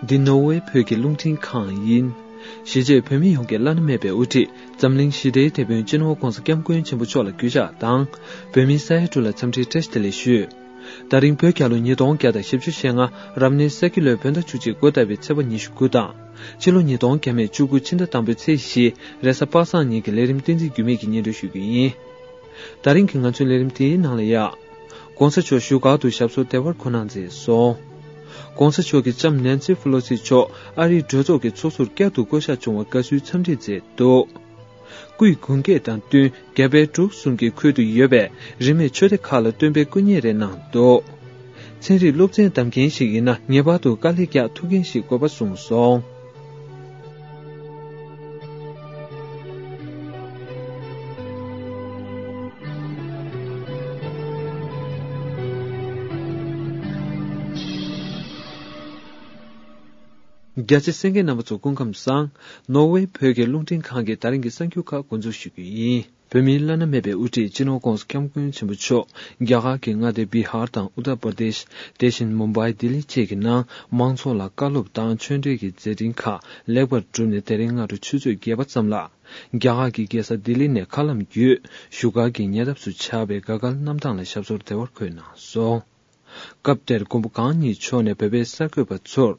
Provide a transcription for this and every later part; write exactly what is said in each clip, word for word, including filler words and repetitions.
འདི་ནོར་ཝེ་བོད་ཀྱི་རླུང་འཕྲིན་ཁང་ཡིན། གཞིས་བྱེས་བོད་མི་ཡོངས་ཀྱི་བླ་ན་མེད་པའི་དབུ་ཁྲིད་འཛམ་གླིང་ཞི་བདེའི་དེད་དཔོན་སྤྱི་ནོར་༧གོང་ས་༧སྐྱབས་མགོན་ཆེན་པོ་མཆོག་ལ་གུས་ཕྱག་དང་། བོད་མིའི་ས་ཡ་དྲུག་ལ་འཚམས་འདྲིའི་བཀྲ་ཤིས་བདེ་ལེགས་ཞུ། ད་རིང་བོད་རྒྱལ་ལོ་ཉིས་སྟོང་བརྒྱ་དང་བཞི་བཅུ་ཞེ་ལྔ་རབ་གནས་ས་ཁྱི་ལོའི་བོད་ཟླ་བཅུ་གཅིག་འགོ་བརྡབས་པའི་ཚེས་པ་ཉི་ཤུ་དགུ་དང་། ཕྱི་ལོ་ཉིས་སྟོང་བརྒྱ་མེད་བཅུ་དགུ་ཕྱི་ཟླ་དང་པོའི་ཚེས་བཞི་རེས་གཟའ་པ་སངས་ཉིན་གྱི་ལས་རིམ་བསྟན་འཛིན་འགྱུར་མེད་ཀྱིས་སྙན་སྒྲོན་ཞུ་རྒྱུ་ཡིན། ད་རིང་གི་ང་ཚོའི་ལས་རིམ་དེའི་ནང་ལ་ཡ། ྋགོང་ས་མཆོག་བཞུགས་སྒར་དུ་ཞབས་སོར་བདེ་བར་འཁོད་གནང་མཛད་སོང་། ྋགོང་ས་མཆོག་གི་ལྕམ་ནེན་སི་ཕེ་ལོ་སི་མཆོག་ཨ་རིའི་གྲོས་ཚོགས་ཀྱི་ཚོགས་ཟུར་བསྐྱར་དུ་བསྐོ་གཞག་བྱུང་བར་དགའ་བསུའི་འཚམས་འདྲི་མཛད་འདུག། སྐུའི་དགུང་སྐེག་དང་བསྟུན་རྒྱ་བལ་འབྲུག་གསུམ་གྱི་ཁུལ་དུ་ཡོད་པའི་རིས་མེད་ཆོས་སྡེ་ཁག་ལ་སྟོན་པའི་སྐུ་བརྙན་རེ་གནང་འདུག། ཚན་རིག་སློབ་ཚན་བདམས་མཁན་ཞིག་ཡིན་ན་ངེས་པར་དུ་དཀའ་ལས་རྒྱག་ཐུབ་མཁན་ཞིག་དགོས་པ་གསུངས་སོང་། རྒྱ་ཆེ་གསན་མཁན་རྣམ་པ་ཚོ་སྐུ་ཁམས་བཟང་། ནོར་ཝེ་བོད་ཀྱི་རླུང་འཕྲིན་ཁང་གི་ད་རིང་གི་གསར་འགྱུར་ཁག་འགོ་འཛུགས་ཞུ་རྒྱུ་ཡིན། བོད་མིའི་བླ་ན་མེད་པའི་དབུ་ཁྲིད་སྤྱི་ནོར་༧གོང་ས་༧སྐྱབས་མགོན་ཆེན་པོ་མཆོག་རྒྱ་གར་གྱི་མངའ་སྡེ་བི་ཧར་དང་ཨུ་ཏར་པར་དེཤ། དེ་བཞིན་མུམ་བྷའི། ལྡི་ལི་བཅས་ཀྱི་ནང་མང་ཚོགས་ལ་བཀའ་སློབ་དང་ཆོས་འབྲེལ་གྱི་མཛད་འཕྲིན་ཁག་ལེགས་པར་གྲུབ་ནས་དེ་རིང་སྔ་དྲོ་ཆུ་ཚོད་བརྒྱད་པ་ཙམ་ལ་རྒྱ་གར་གྱི་རྒྱལ་ས་ལྡི་ལི་ནས་མཁའ་ལམ་བརྒྱུད་བཞུགས་སྒར་གྱི་ཉེ་འདབས་སུ་ཆགས་པའི་དགའ་སྐལ་གནམ་ཐང་ལ་ཞབས་སོར་བདེ་བར་འཁོད་གནང་སོང་། སྐབས་དེར་མགོན་པོ་གང་ཉིད་མཆོག་ནས་བོད་པའི་གསར་འགོད་པ་ཚོར།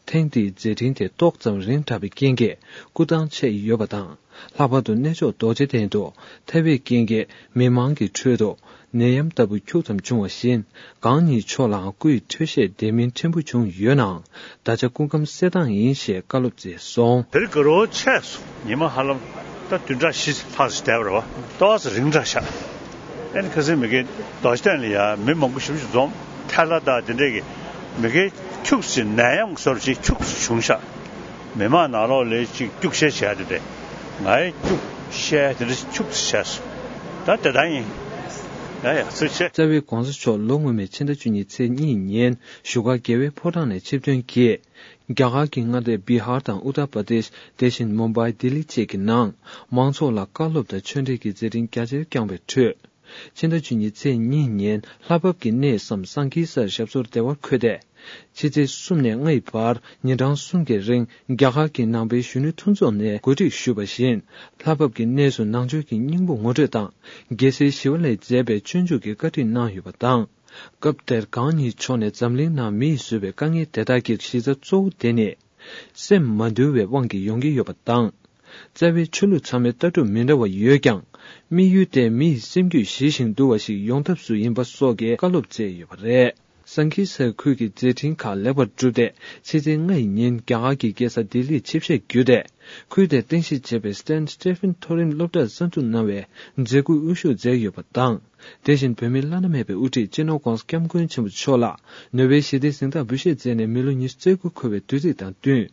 ཐེངས་འདིའི་མཛད་འཕྲིན་དེ་ཏོག་ཙམ་རིང་དྲགས་པའི་རྐྱེན་གྱིས་སྐུ་ཐང་ཆད་ཡོད་པ་དང་། ལྷག་པར་དུ་གནས་མཆོག་རྡོ་རྗེ་གདན་དུ་ཐལ་བའི་རྐྱེན་གྱིས་མི་མང་གི་ཁྲོད་དུ་ནད་ཡམས་ལྟ་བུ་ཁྱུག་ཙམ་བྱུང་བ་བཞིན། གང་ཉིད་མཆོག་ལའང་སྐུའི་འཕྲོད་བཞེས་དེ་མིན་ཕྲན་བུ་བྱུང་ཡོད་ནའང་། ད་ཆ་སྐུ་ཁམས་གསལ་ཐང་ཡིན་ཞེས་བཀའ་སློབ་མཛད་སོང་། དེ་རིང་དགའ་རོགས་ཆེ་སོང་། ཉི་མ་ཧ་ལམ་ད་བདུན་ཕྲག་བཞི་ལྷག་ཙམ་བསྡད་པ་རེད་བ། ཏོག་ཙམ་རིང་དྲགས་ཤག་ཨ་ནི་ཁ་སང་མ་གི་རྡོ་རྗེ་གདན་ལ་ཡ་མི་མང་པོ་ཞེ་པོ་ཅིག་འཛོམས། ཐལ་བ་དང་དེ་འདྲས་ཀྱི་མ་གི་ཁྱུག་ཙམ་ནད་ཡམས་བཟོ་འདྲ་ཅིག་ཁྱུག་ཙམ་བྱུང་ཤག་མི་མང་ནང་ལོགས་ལ་ཅིག་སྐྱུག་བཤལ་བྱས་དེ་འདྲས། ང་ཡི་སྐྱུག་བཤལ་དེ་འདྲས་ཁྱུག་ཙམ་བྱས་སོང་། ད་དེ་ལྟར་ཡིན། ཡ་ཡ་ཚུར་ཆེ། རྩ་བའི་ྋགོང་ས་མཆོག་ལོ་སྔོན་མའི་ཕྱི་ཟླ་བཅུ་གཉིས་ཚེས་གཉིས་ཉིན་བཞུགས་སྒར་རྒྱལ་བའི་ཕོ་བྲང་ནས་ཆིབས་ཐོན་གྱིས། རྒྱ་གར་གྱི་མངའ་སྡེ་བི་ཧར་དང་ཨུ་ཏར་པར་དེཤ། དེ་བཞིན་མུམ་བྷའི། ལྡི་ལི་བཅས་ཀྱི་ནང་མང་ཚོགས་ལ་བཀའ་སློབ་དང་ཆོས་འབྲེལ་གྱི་མཛད་འཕྲིན་རྒྱ་ཆེར་བསྐྱངས་པའི་ཁྲོད། ཕྱི་ཟླ་བཅུ་གཉིས་ཚེས་གཉིས་ཉིན་ལྷ་བབས་ཀྱི་གནས་སམ་སང་ཀི་སར་ཞབས་སོར་བདེ་བར་འཁོད་དེ། ཕྱི་ཚེས་གསུམ་ནས་ལྔ་ཡི་བར་ཉིན་གྲངས་གསུམ་གྱི་རིང་རྒྱ་གར་གྱི་ནང་པའི་གཞོན་ནུ་མཐུན་ཚོགས་ནས་གོ་སྒྲིག་ཞུས་པ་བཞིན། ལྷ་བབས་ཀྱི་གནས་སུ་ནང་ཆོས་ཀྱི་སྙིང་པོ་ངོ་སྤྲོད་དང་། རྒྱལ་སྲས་ཞི་བ་ལྷས་མཛད་པའི་སྤྱོད་འཇུག་གི་བཀའ་ཁྲིད་གནང་ཡོད་པ་དང་། སྐབས་དེར་གང་ཉིད་མཆོག་ནས་འཛམ་གླིང་ནང་མི་ཡིས་བཟོས་པའི་དཀའ་ངལ་དེ་དག་གི་གཞི་རྩ་གཙོ་བོ་དེ་ནི། སེམས་མ་དུལ་བའི་དབང་གིས་ཡོང་གི་ཡོད་པ་དང་། རྩ་བའི་ཆོས་ལུགས་ཚང་མའི་ལྟ་གྲུབ་མི་འདྲ་བ་ཡོད་ཀྱང་། དམིགས་ཡུལ་དེ་མི་ཡི་སེམས་རྒྱུད་ཞི་ཞིང་དུལ་བ་ཞིག་ཡོང་ཐབས་སུ་ཡིན་པ་སོགས་ཀྱི་བཀའ་སློབ་སྩལ་ཡོད་པ་རེད། སང་ཀི་སར་ཁུལ་གྱི་མཛད་འཕྲིན་ཁག་ལེགས་པར་གྲུབ་སྟེ། ཕྱི་ཚེས་ལྔ་ཡི་ཉིན་རྒྱ་གར་གྱི་རྒྱལ་ས་ལྡི་ལིར་ཆིབས་ཞལ་བསྒྱུར་ཏེ། ཁུལ་དེར་རྟེན་གཞི་བྱས་པའི་སྟེན་སི་ཊི་ཕིན་མཐོ་རིམ་སློབ་གྲྭར་གསར་འཛུགས་གནང་བའི་མཛད་ཁུར་དབུ་བཞུགས་མཛད་ཡོད་པ་དང་། དེ་བཞིན་བོད་མིའི་བླ་ན་མེད་པའི་དབུ་ཁྲིད་སྤྱི་ནོར་༧གོང་ས་༧སྐྱབས་མགོན་ཆེན་པོ་མཆོག་ལ་ནོ་བེལ་ཞི་བདེའི་གཟེངས་རྟགས་འབུལ་བཞེས་མཛད་ནས་མི་ལོ་ཉི་ཤུ་རྩ་དགུ་འཁོར་བའི་དུས་ཚིགས་དང་བསྟུན།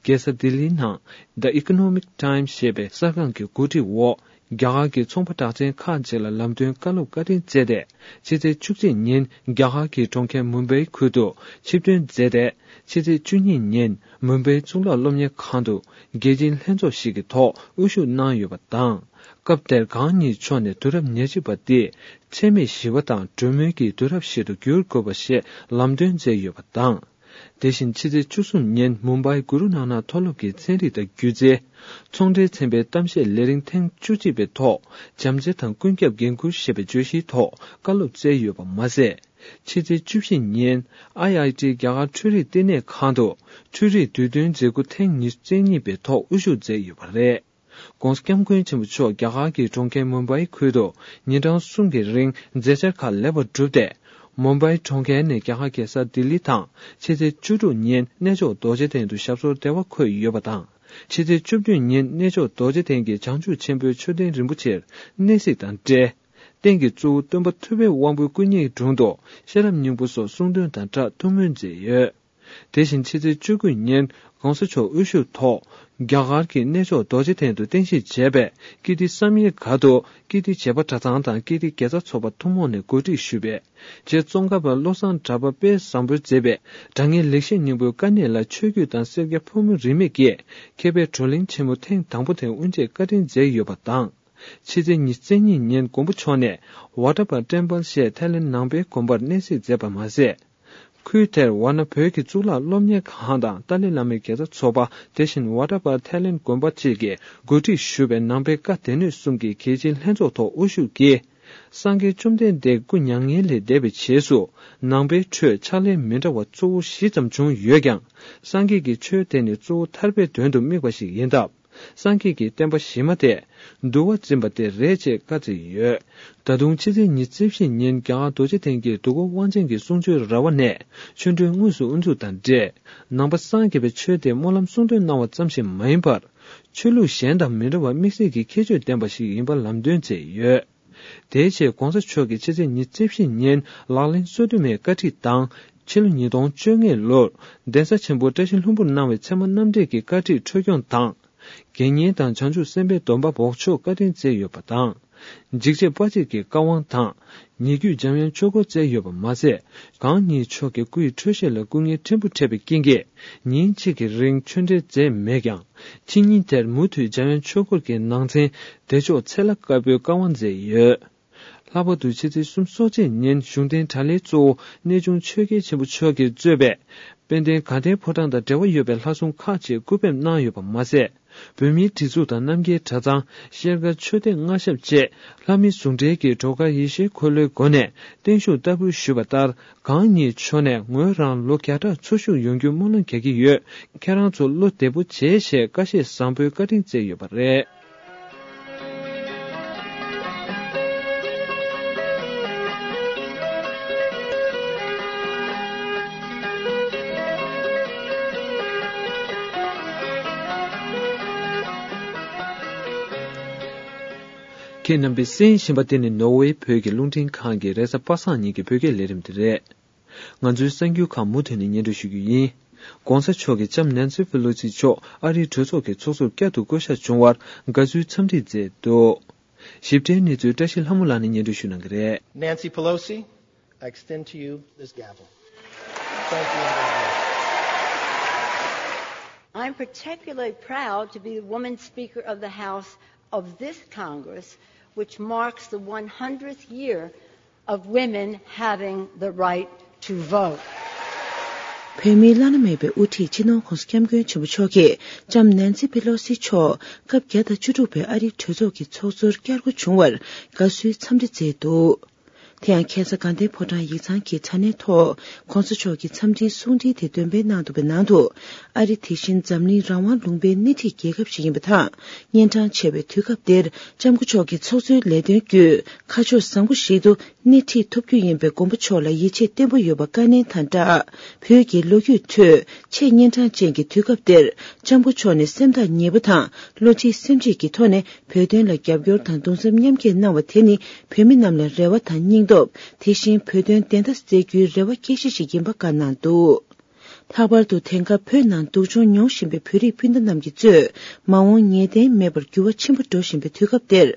རྒྱལ་ས་ལྡི་ལིའི་ནང་The Economic Times ཞེས་པའི་གསར་ཁང་གི་གོ་སྒྲིག་འོག་རྒྱ་གར་གྱི་ཚོང་པ་གྲགས་ཅན་ཁག་ཅིག་ལ་ལམ་སྟོན་བཀའ་སློབ་བཀའ་དྲིན་སྩལ་ཏེ། ཕྱི་ཚེས་བཅུ་གཅིག་ཉིན་རྒྱ་གར་གྱི་གྲོང་ཁྱེར་མུམ་བྷའི་ཁུལ་དུ་ཆིབས་ཐོན་མཛད་དེ། ཕྱི་ཚེས་བཅུ་གཉིས་ཉིན་མུམ་བྷའི་གཙུག་ལག་སློབ་གཉེར་ཁང་དུ་རྒྱལ་སྤྱིའི་ལྷན་ཚོགས་ཤིག་གི་ཐོག་དབུ་བཞུགས་གནང་ཡོད་པ་དང་། སྐབས་དེར་གང་ཉིད་མཆོག་ནས་དུས་རབས་ཉེར་གཅིག་པ་འདིའི་འཚེ་མེད་ཞི་བ་དང་གྲོས་མོལ་གྱི་དུས་རབས་ཤིག་ཏུ་འགྱུར་དགོས་པ་ཞེས་ལམ་སྟོན་མཛད་ཡོད་པ་དང་། དེ་བཞིན་ཕྱི་ཚེས་བཅུ་གསུམ་ཉིན་མུམ་བྷའི་གུ་རུ་ནཱ་ནག་མཐོ་སློབ་ཀྱི་ཚན་རིག་དང་སྒྱུ་རྩལ། ཚོང་འབྲེལ་ཚན་པའི་གཏམ་བཤད་ལས་རིམ་ཐེངས་བཅུ་གཅིག་པའི་ཐོག་བྱམས་བརྩེ་དང་ཀུན་ཁྱབ་འགན་འཁུར་ཞེས་པའི་བརྗོད་གཞིའི་ཐོག་བཀའ་སློབ་སྩལ་ཡོད་པ་མ་ཟད། ཕྱི་ཚེས་བཅུ་བཞི་ཉིན་ཨའི་ཨའི་ཊི་རྒྱ་གར་འཕྲུལ་རིག་བསྟི་གནས་ཁང་དུ་འཕྲུལ་རིག་དུས་སྟོན་མཛད་ཁུར་ཐེངས་ཉི་ཤུ་རྩ་གཉིས་པའི་ཐོག་དབུ་བཞུགས་མཛད་ཡོད་པ་རེད། ྋགོང་ས་ྋསྐྱབས་མགོན་ཆེན་པོ་མཆོག་རྒྱ་གར་གྱི་གྲོང་ཁྱེར་མུམ་བྷའི་ཁུལ་དུ་ཉིན་གྲངས་གསུམ་གྱི་རིང་མཛད་འཆར་ཁག་ལེགས་པར་གྲུབ་སྟེ། མུམ་བྷའི་གྲོང་ཁྱེར་ནས་རྒྱ་གར་རྒྱལ་ས་ལྡི་ལི་དང་ཕྱི་ཚེས་བཅུ་དྲུག་ཉིན་གནས་མཆོག་རྡོ་རྗེ་གདན་དུ་ཞབས་སོར་བདེ་བར་འཁོད་ཡོད་པ་དང་། ཕྱི་ཚེས་བཅུ་བདུན་ཉིན་གནས་མཆོག་རྡོ་རྗེ་གདན་གྱི་བྱང་ཆུབ་ཆེན་པོའི་མཆོད་རྟེན་རིན་པོ་ཆེར་གནས་གཟིགས་དང་འབྲེལ། རྟེན་གྱི་གཙོ་བོ་སྟོན་པ་ཐུབ་པའི་དབང་པོའི་སྐུ་བརྙན་དྲུང་དུ་ཤེས་རབ་སྙིང་པོ་སོགས་གསུང་འདོན་དང་སྦྲགས་ཐུགས་སྨོན་མཛད་ཡོད། དེ་བཞིན་ཕྱི་ཚེས་བཅུ་དགུ་ཉིན་ྋགོང་ས་མཆོག་དབུ་བཞུགས་ཐོག་རྒྱ་གར་གྱི་གནས་མཆོག་རྡོ་རྗེ་གདན་དུ་རྟེན་གཞི་བྱས་པའི་ཀིརྟི་བསམ་ཡས་སྒར་དུ་ཀིརྟི་བྱེས་པ་གྲྭ་ཚང་དང་ཀིརྟི་དགེ་རྩ་ཚོགས་པ་ཐུན་མོང་ནས་གོ་སྒྲིག་ཞུས་པའི་རྗེ་ཙོང་ཁ་པ་བློ་བཟང་གྲགས་པ་དཔལ་བཟང་པོས་མཛད་པའི་དྲང་ངེས་ལེགས་བཤད་སྙིང་པོའི་དཀའ་གནད་ལ་ཆོས་བརྒྱུད་དང་སེར་སྐྱ་ཕོ་མོ་རིས་མེད་ཀྱིས་མཁས་པའི་བགྲོ་གླེང་ཆེན་མོ་ཐེངས་དང་པོ་དེ་དབུ་འབྱེད་བཀའ་དྲིན་མཛད་ཡོད་པ་དང་། ཕྱི་ཚེས་ཉི་ཤུ་རྩ་གཉིས་ཉིན་མགོན་པོ་མཆོག་ནས་ཝ་ཊ་པ་ཊེམ་པལ་ཞེས་ཐའི་ལེན་ནང་པའི་དགོན་པར་གནས་གཟིགས་མཛད་པ་མ་ཟད། ཁུལ་དེར་ཝཱ་ཎ་བོད་ཀྱི་གཙུག་ལག་སློབ་གཉེར་ཁང་དང་ཏཱ་ལའི་བླ་མའི་དགེ་རྩ་ཚོགས་པ། དེ་བཞིན་ཝཱ་ཊ་པར་ཐའི་ལེན་དགོན་པ་བཅས་ཀྱིས་གོ་སྒྲིག་ཞུས་པའི་ནང་པའི་བཀའ་སྡེ་སྣོད་གསུམ་གྱི་གལ་ཆེའི་ལྷན་ཚོགས་ཐོག་དབུ་བཞུགས་ཀྱིས། སངས་རྒྱས་བཅོམ་ལྡན་འདས་སྐུ་མྱ་ངན་ལས་འདས་པའི་རྗེས་སུ། ནང་པའི་ཁྲོད་ཕྱག་ལས་མི་འདྲ་བ་གཙོ་བོ་བཞི་ཙམ་བྱུང་ཡོད་ཀྱང་། སངས་རྒྱས་ཀྱི་ཆོས་དེ་ནི་གཙོ་བོ་ཐར་པའི་དོན་དུ་དམིགས་པ་ཞིག་ཡིན་སྟབས། སངས་རྒྱས་ཀྱི་བསྟན་པ་གཞི་མ་དེ། འདུལ་བ་འཛིན་པ་དེ་རེད་ཅེས་བཀའ་བསྩལ་ཡོད། ད་དུང་ཕྱི་ཚེས་ཉི་ཤུ་རྩ་བཞི་ཉིན་རྒྱ་གར་རྡོ་རྗེ་གདན་གྱི་འདུ་འགོད་དབང་ཆེན་གྱི་གསུང་ཆོས་ར་བ་ནས་ཆོ་འཕྲུལ་དངོས་སུ་དབུ་འཛུགས་དང་འབྲེལ། ནང་པ་སངས་རྒྱས་པའི་ཆོས་དེ་སྨོན་ལམ་གསུང་འདོན་གནང་བ་ཙམ་ཞིག་མ་ཡིན་པར། ཆོས་ལུགས་གཞན་དང་མི་འདྲ་བར་དམིགས་བསལ་གྱི་ཁྱད་ཆོས་ལྡན་པ་ཞིག་ཡིན་པ་ལམ་སྟོན་མཛད་ཡོད། དེའི་ཆེད་༧གོང་ས་མཆོག་གིས་ཕྱི་ཚེས་ཉི་ཤུ་རྩ་བཞི་ཉིན་ལག་ལེན་སོ་བདུན་མའི་བཀའ་ཁྲིད་དང་། ཕྱི་ལོ་ཉིས་སྟོང་བཅོ་ལྔ་ལོར་གདན་ས་ཆེན་པོ་བཀྲ་ཤིས་ལྷུན་པོར་གནང་བའི་ཚད་མ་རྣམ་འགྲེལ་གྱི་བཀའ་ཁྲིད་འཕྲོས་སྐྱོང་དང་། དགེ་བསྙེན་དང་བྱང་ཆུབ་སེམས་དཔའི་སྡོམ་པ་འབོགས་ཆོག་བཀའ་དྲིན་སྩལ་ཡོད་པ་དང་། འཇིགས་བྱེད་དཔའ་བྱད་ཀྱི་བཀའ་དབང་དང་། ཉེ་བརྒྱུད་འཇམ་དབྱངས་ཆོས་སྐོར་སྩལ་ཡོད་པ་མ་ཟད། གང་ཉིད་མཆོག་གི་སྐུ་ཡི་འཕྲོད་བཞེས་ལ་སྐུ་ངལ་ཕྲན་བུ་འཕྲད་པའི་རྐྱེན་གྱིས། ཉིན་གཅིག་གི་རིང་ཆོས་འབྲེལ་མཛད་མེད་ཀྱང་། ཕྱི་ཉིན་དེར་མུ་མཐུད་འཇམ་དབྱངས་ཆོས་སྐོར་གྱི་ནང་ཚན་བདེ་མཆོག་ཚེ་ལྷ་དཀར་པོའི་བཀའ་དབང་མཛད་ཡོད། ལྷག་པར་དུ་ཕྱི་ཚེས་སུམ་ཅུ་སོ་གཅིག་ཉིན་གཞུང་རྟེན་གྲྭ་ལྷའི་གཙོ་བོ་གནས་ཆུང་ཆོས་རྒྱལ་ཆེན་པོ་མཆོག་གིས་གཙོས་པའི་དཔལ་ལྡན་དགའ་ལྡན་ཕོ་བྲང་དང་འབྲེལ་བ་ཡོད་པའི་ལྷ་སྲུང་ཁག་ཅིག་སྐུ་ཕེབས་གནང་ཡོད་པ་མ་ཟད། བོད་མིའི་སྒྲིག་འཛུགས་དང་རྣམ་རྒྱལ་གྲྭ་ཚང་། ཤེལ་དཀར་མཆོད་རྟེན་མངའ་ཞབས་བཅས་ལྷ་མིའི་ཟུང་འབྲེལ་གྱིས་སྒྲོལ་དཀར་ཡེ་ཤེས་འཁོར་ལོའི་སྒོ་ནས་བརྟན་བཞུགས་བསྟར་འབུལ་ཞུས་པ་ལྟར། གང་ཉིད་མཆོག་ནས་ངོས་རང་ལོ་བརྒྱ་ཕྲག་འཚོ་བཞུགས་ཡོང་རྒྱུའི་སྨོན་ལམ་རྒྱག་གི་ཡོད། ཁྱེད་རང་ཚོ་བློ་བདེ་པོ་བྱེད་ཞེས་བཀའ་བཞེས་བཟང་པོའི་བཀའ་དྲིན་སྩལ་ཡོད་པ་རེད། ཁྱེད་རྣམ་པས་གསན་བཞིན་པ་འདི་ནི་ནོར་ཝེ་བོད་ཀྱི་རླུང་འཕྲིན་ཁང་གི་རེས་གཟའ་པ་སངས་ཉིན་གྱི་བོད་སྐད་ལས་རིམ་དེ་རེད། ང་ཚོའི་གསར་འགྱུར་ཁག་མུ་མཐུད་ནས་སྙན་སྒྲོན་ཞུ་རྒྱུ་ཡིན། ྋགོང་ས་མཆོག་གིས་ལྕམ་ནན་སི་ཕེ་ལོ་སི་མཆོག་ཨ་རིའི་གྲོས་ཚོགས་ཀྱི་ཚོགས་གཙོར་བསྐྱར་དུ་བསྐོ་གཞག་བྱུང་བར་དགའ་བསུའི་འཚམས་འདྲི་མཛད་འདུག་ཞིབ་ཕྲའི་གནས་ཚུལ་བཀྲ་ཤིས་ལྷ་མོ་ལགས་ནས་སྙན་སྒྲོན་ཞུ་གནང་གི་རེད། Nancy Pelosi, I extend to you this gavel. Thank you, Ambassador. I'm particularly proud to be the woman Speaker of the House of this Congress, which marks the one hundredth year of women having the right to vote. བོད་མིའི་བླ་ན་མེད་པའི་དབུ་ཁྲིད་སྤྱི་ནོར་༧གོང་ས་༧སྐྱབས་མགོན་ཆེན་པོ་མཆོག་གིས་ལྕམ་ནན་སི་ཕེ་ལོ་སི་མཆོག་སྐབས་བརྒྱ་དང་བཅུ་དྲུག་པའི་ཨ་རིའི་གྲོས་ཚོགས་ཀྱི་ཚོགས་གཙོར་བསྐྱར་བསྐོ་བྱུང་བར་དགའ་བསུའི་འཚམས་འདྲི་མཛད་འདུག་དེ་ཡང་ཁ་སང་དགའ་ལྡན་ཕོ་བྲང་ཡིག་ཚང་གི་དྲ་གནས་ཐོག་༧གོང་ས་མཆོག་གི་འཚམས་འདྲིའི་གསུང་འཕྲིན་དེ་འདོན་སྤེལ་གནང་འདུག་པའི་ནང་དུ། ཨ་རི་དེ་བཞིན་འཛམ་གླིང་རང་དབང་ལུང་པའི་སྣེ་ཁྲིད་རྒྱལ་ཁབ་ཞིག་ཡིན་པ་དང་། གཉན་འཕྲང་ཆེ་བའི་དུས་སྐབས་འདིར་ལྕམ་སྐུ་མཆོག་གི་ཚོགས་གཙོའི་ལས་དོན་བརྒྱུད་ཁ་ཕྱོགས་བཟང་པོ་ཞིག་ཏུ་སྣེ་ཁྲིད་ཐུབ་རྒྱུ་ཡིན་པའི་མགོན་པོ་མཆོག་ལ་ཡིད་ཆེས་བརྟན་པོ་ཡོད་པ་བཀའ་ནན་དང་སྦྲགས། བོད་ཀྱི་ལོ་རྒྱུས་ཁྲོད་ཆེས་གཉན་འཕྲང་ཅན་གྱི་དུས་སྐབས་འདིར་ལྕམ་སྐུ་མཆོག་ནས་སེམས་ཐག་ཉེ་པོ་དང་བློ་གཅིག་སེམས་གཅིག་གི་ཐོག་ནས་བོད་དོན་ལ་རྒྱབ་སྐྱོར་དང་གདུང་སེམས་མཉམ་སྐྱེད་གནང་བ་དེ་ནི་བོད་མི་རྣམས་ལ་རེ་བ་དང་སྙིང་སྟོབས། དེ་བཞིན་བོད་དོན་བདེན་མཐའ་གསལ་རྒྱུའི་རེ་བ་སྐྱེ་གཞི་ཞིག་ཡིན་པ་བཀའ་གནང་འདུག་ལྷག་པར་དུ་དེང་སྐབས་བོད་ནང་སྡུག་སྦྱོང་མྱོང་བཞིན་པའི་བོད་རིགས་སྤུན་ཟླ་རྣམས་ཀྱིས་གཙོས་མ་འོངས་ངེས་གཏན་མེད་པར་འགྱུར་བ་ཆེན་པོ་འགྲོ་བཞིན་པའི་དུས་སྐབས་འདིར།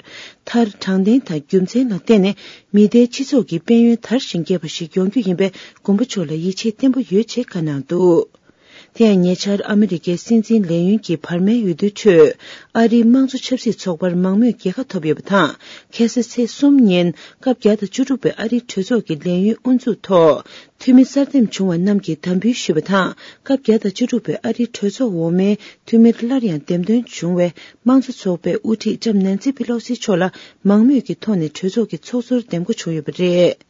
མཐར་དྲང་བདེན་དང་རྒྱུ་མཚན་ལ་བརྟེན་ནས་མི་སྡེའི་སྤྱི་ཚོགས་ཀྱི་དཔལ་ཡོན་དར་ཞིང་རྒྱས་པ་ཞིག་ཡོང་རྒྱུ་ཡིན་པའི་མགོན་པོ་མཆོག་ལ་ཡིད་ཆེས་བརྟན་པོ་ཡོད་ཅེས་བཀའ་གནང་འདུག་དེ་ཡང་ཉེ་ཆར་ཨ་མི་རི་ཀའི་སྲིད་འཛིན་ལས་ཡུན་གྱི་བར་མའི་འོས་བསྡུའི་ཁྲོད་ཨ་རིའི་དམངས་གཙོ་ཆབ་སྲིད་ཚོགས་པར་མང་མོས་རྒྱལ་ཁ་ཐོབ་ཡོད་པ་དང་། ཁ་སང་ཚེས་གསུམ་ཉིན་སྐབས་བརྒྱ་དང་བཅུ་དྲུག་པའི་ཨ་རིའི་གྲོས་ཚོགས་ཀྱི་ལས་ཡུན་དབུ་འཛུགས་ཐོག་འཐུས་མི་གསར་འདེམས་བྱུང་བ་རྣམས་ཀྱིས་དམ་འབུལ་ཞུས་པ་དང་། སྐབས་བརྒྱ་དང་བཅུ་དྲུག་པའི་ཨ་རིའི་གྲོས་ཚོགས་འོག་མའི་འཐུས་མིར་སླར་ཡང་འདེམས་ཐོན་བྱུང་བའི་དམངས་གཙོ་ཚོགས་པའི་དབུ་ཁྲིད་ལྕམ་ནན་སི་པི་ལོ་སི་མཆོག་ལ་མང་མོས་ཀྱི་ཐོག་ནས་གྲོས་ཚོགས་ཀྱི་ཚོགས་གཙོར་འདེམས་བསྐོ་བྱུང་ཡོད་པ་རེད།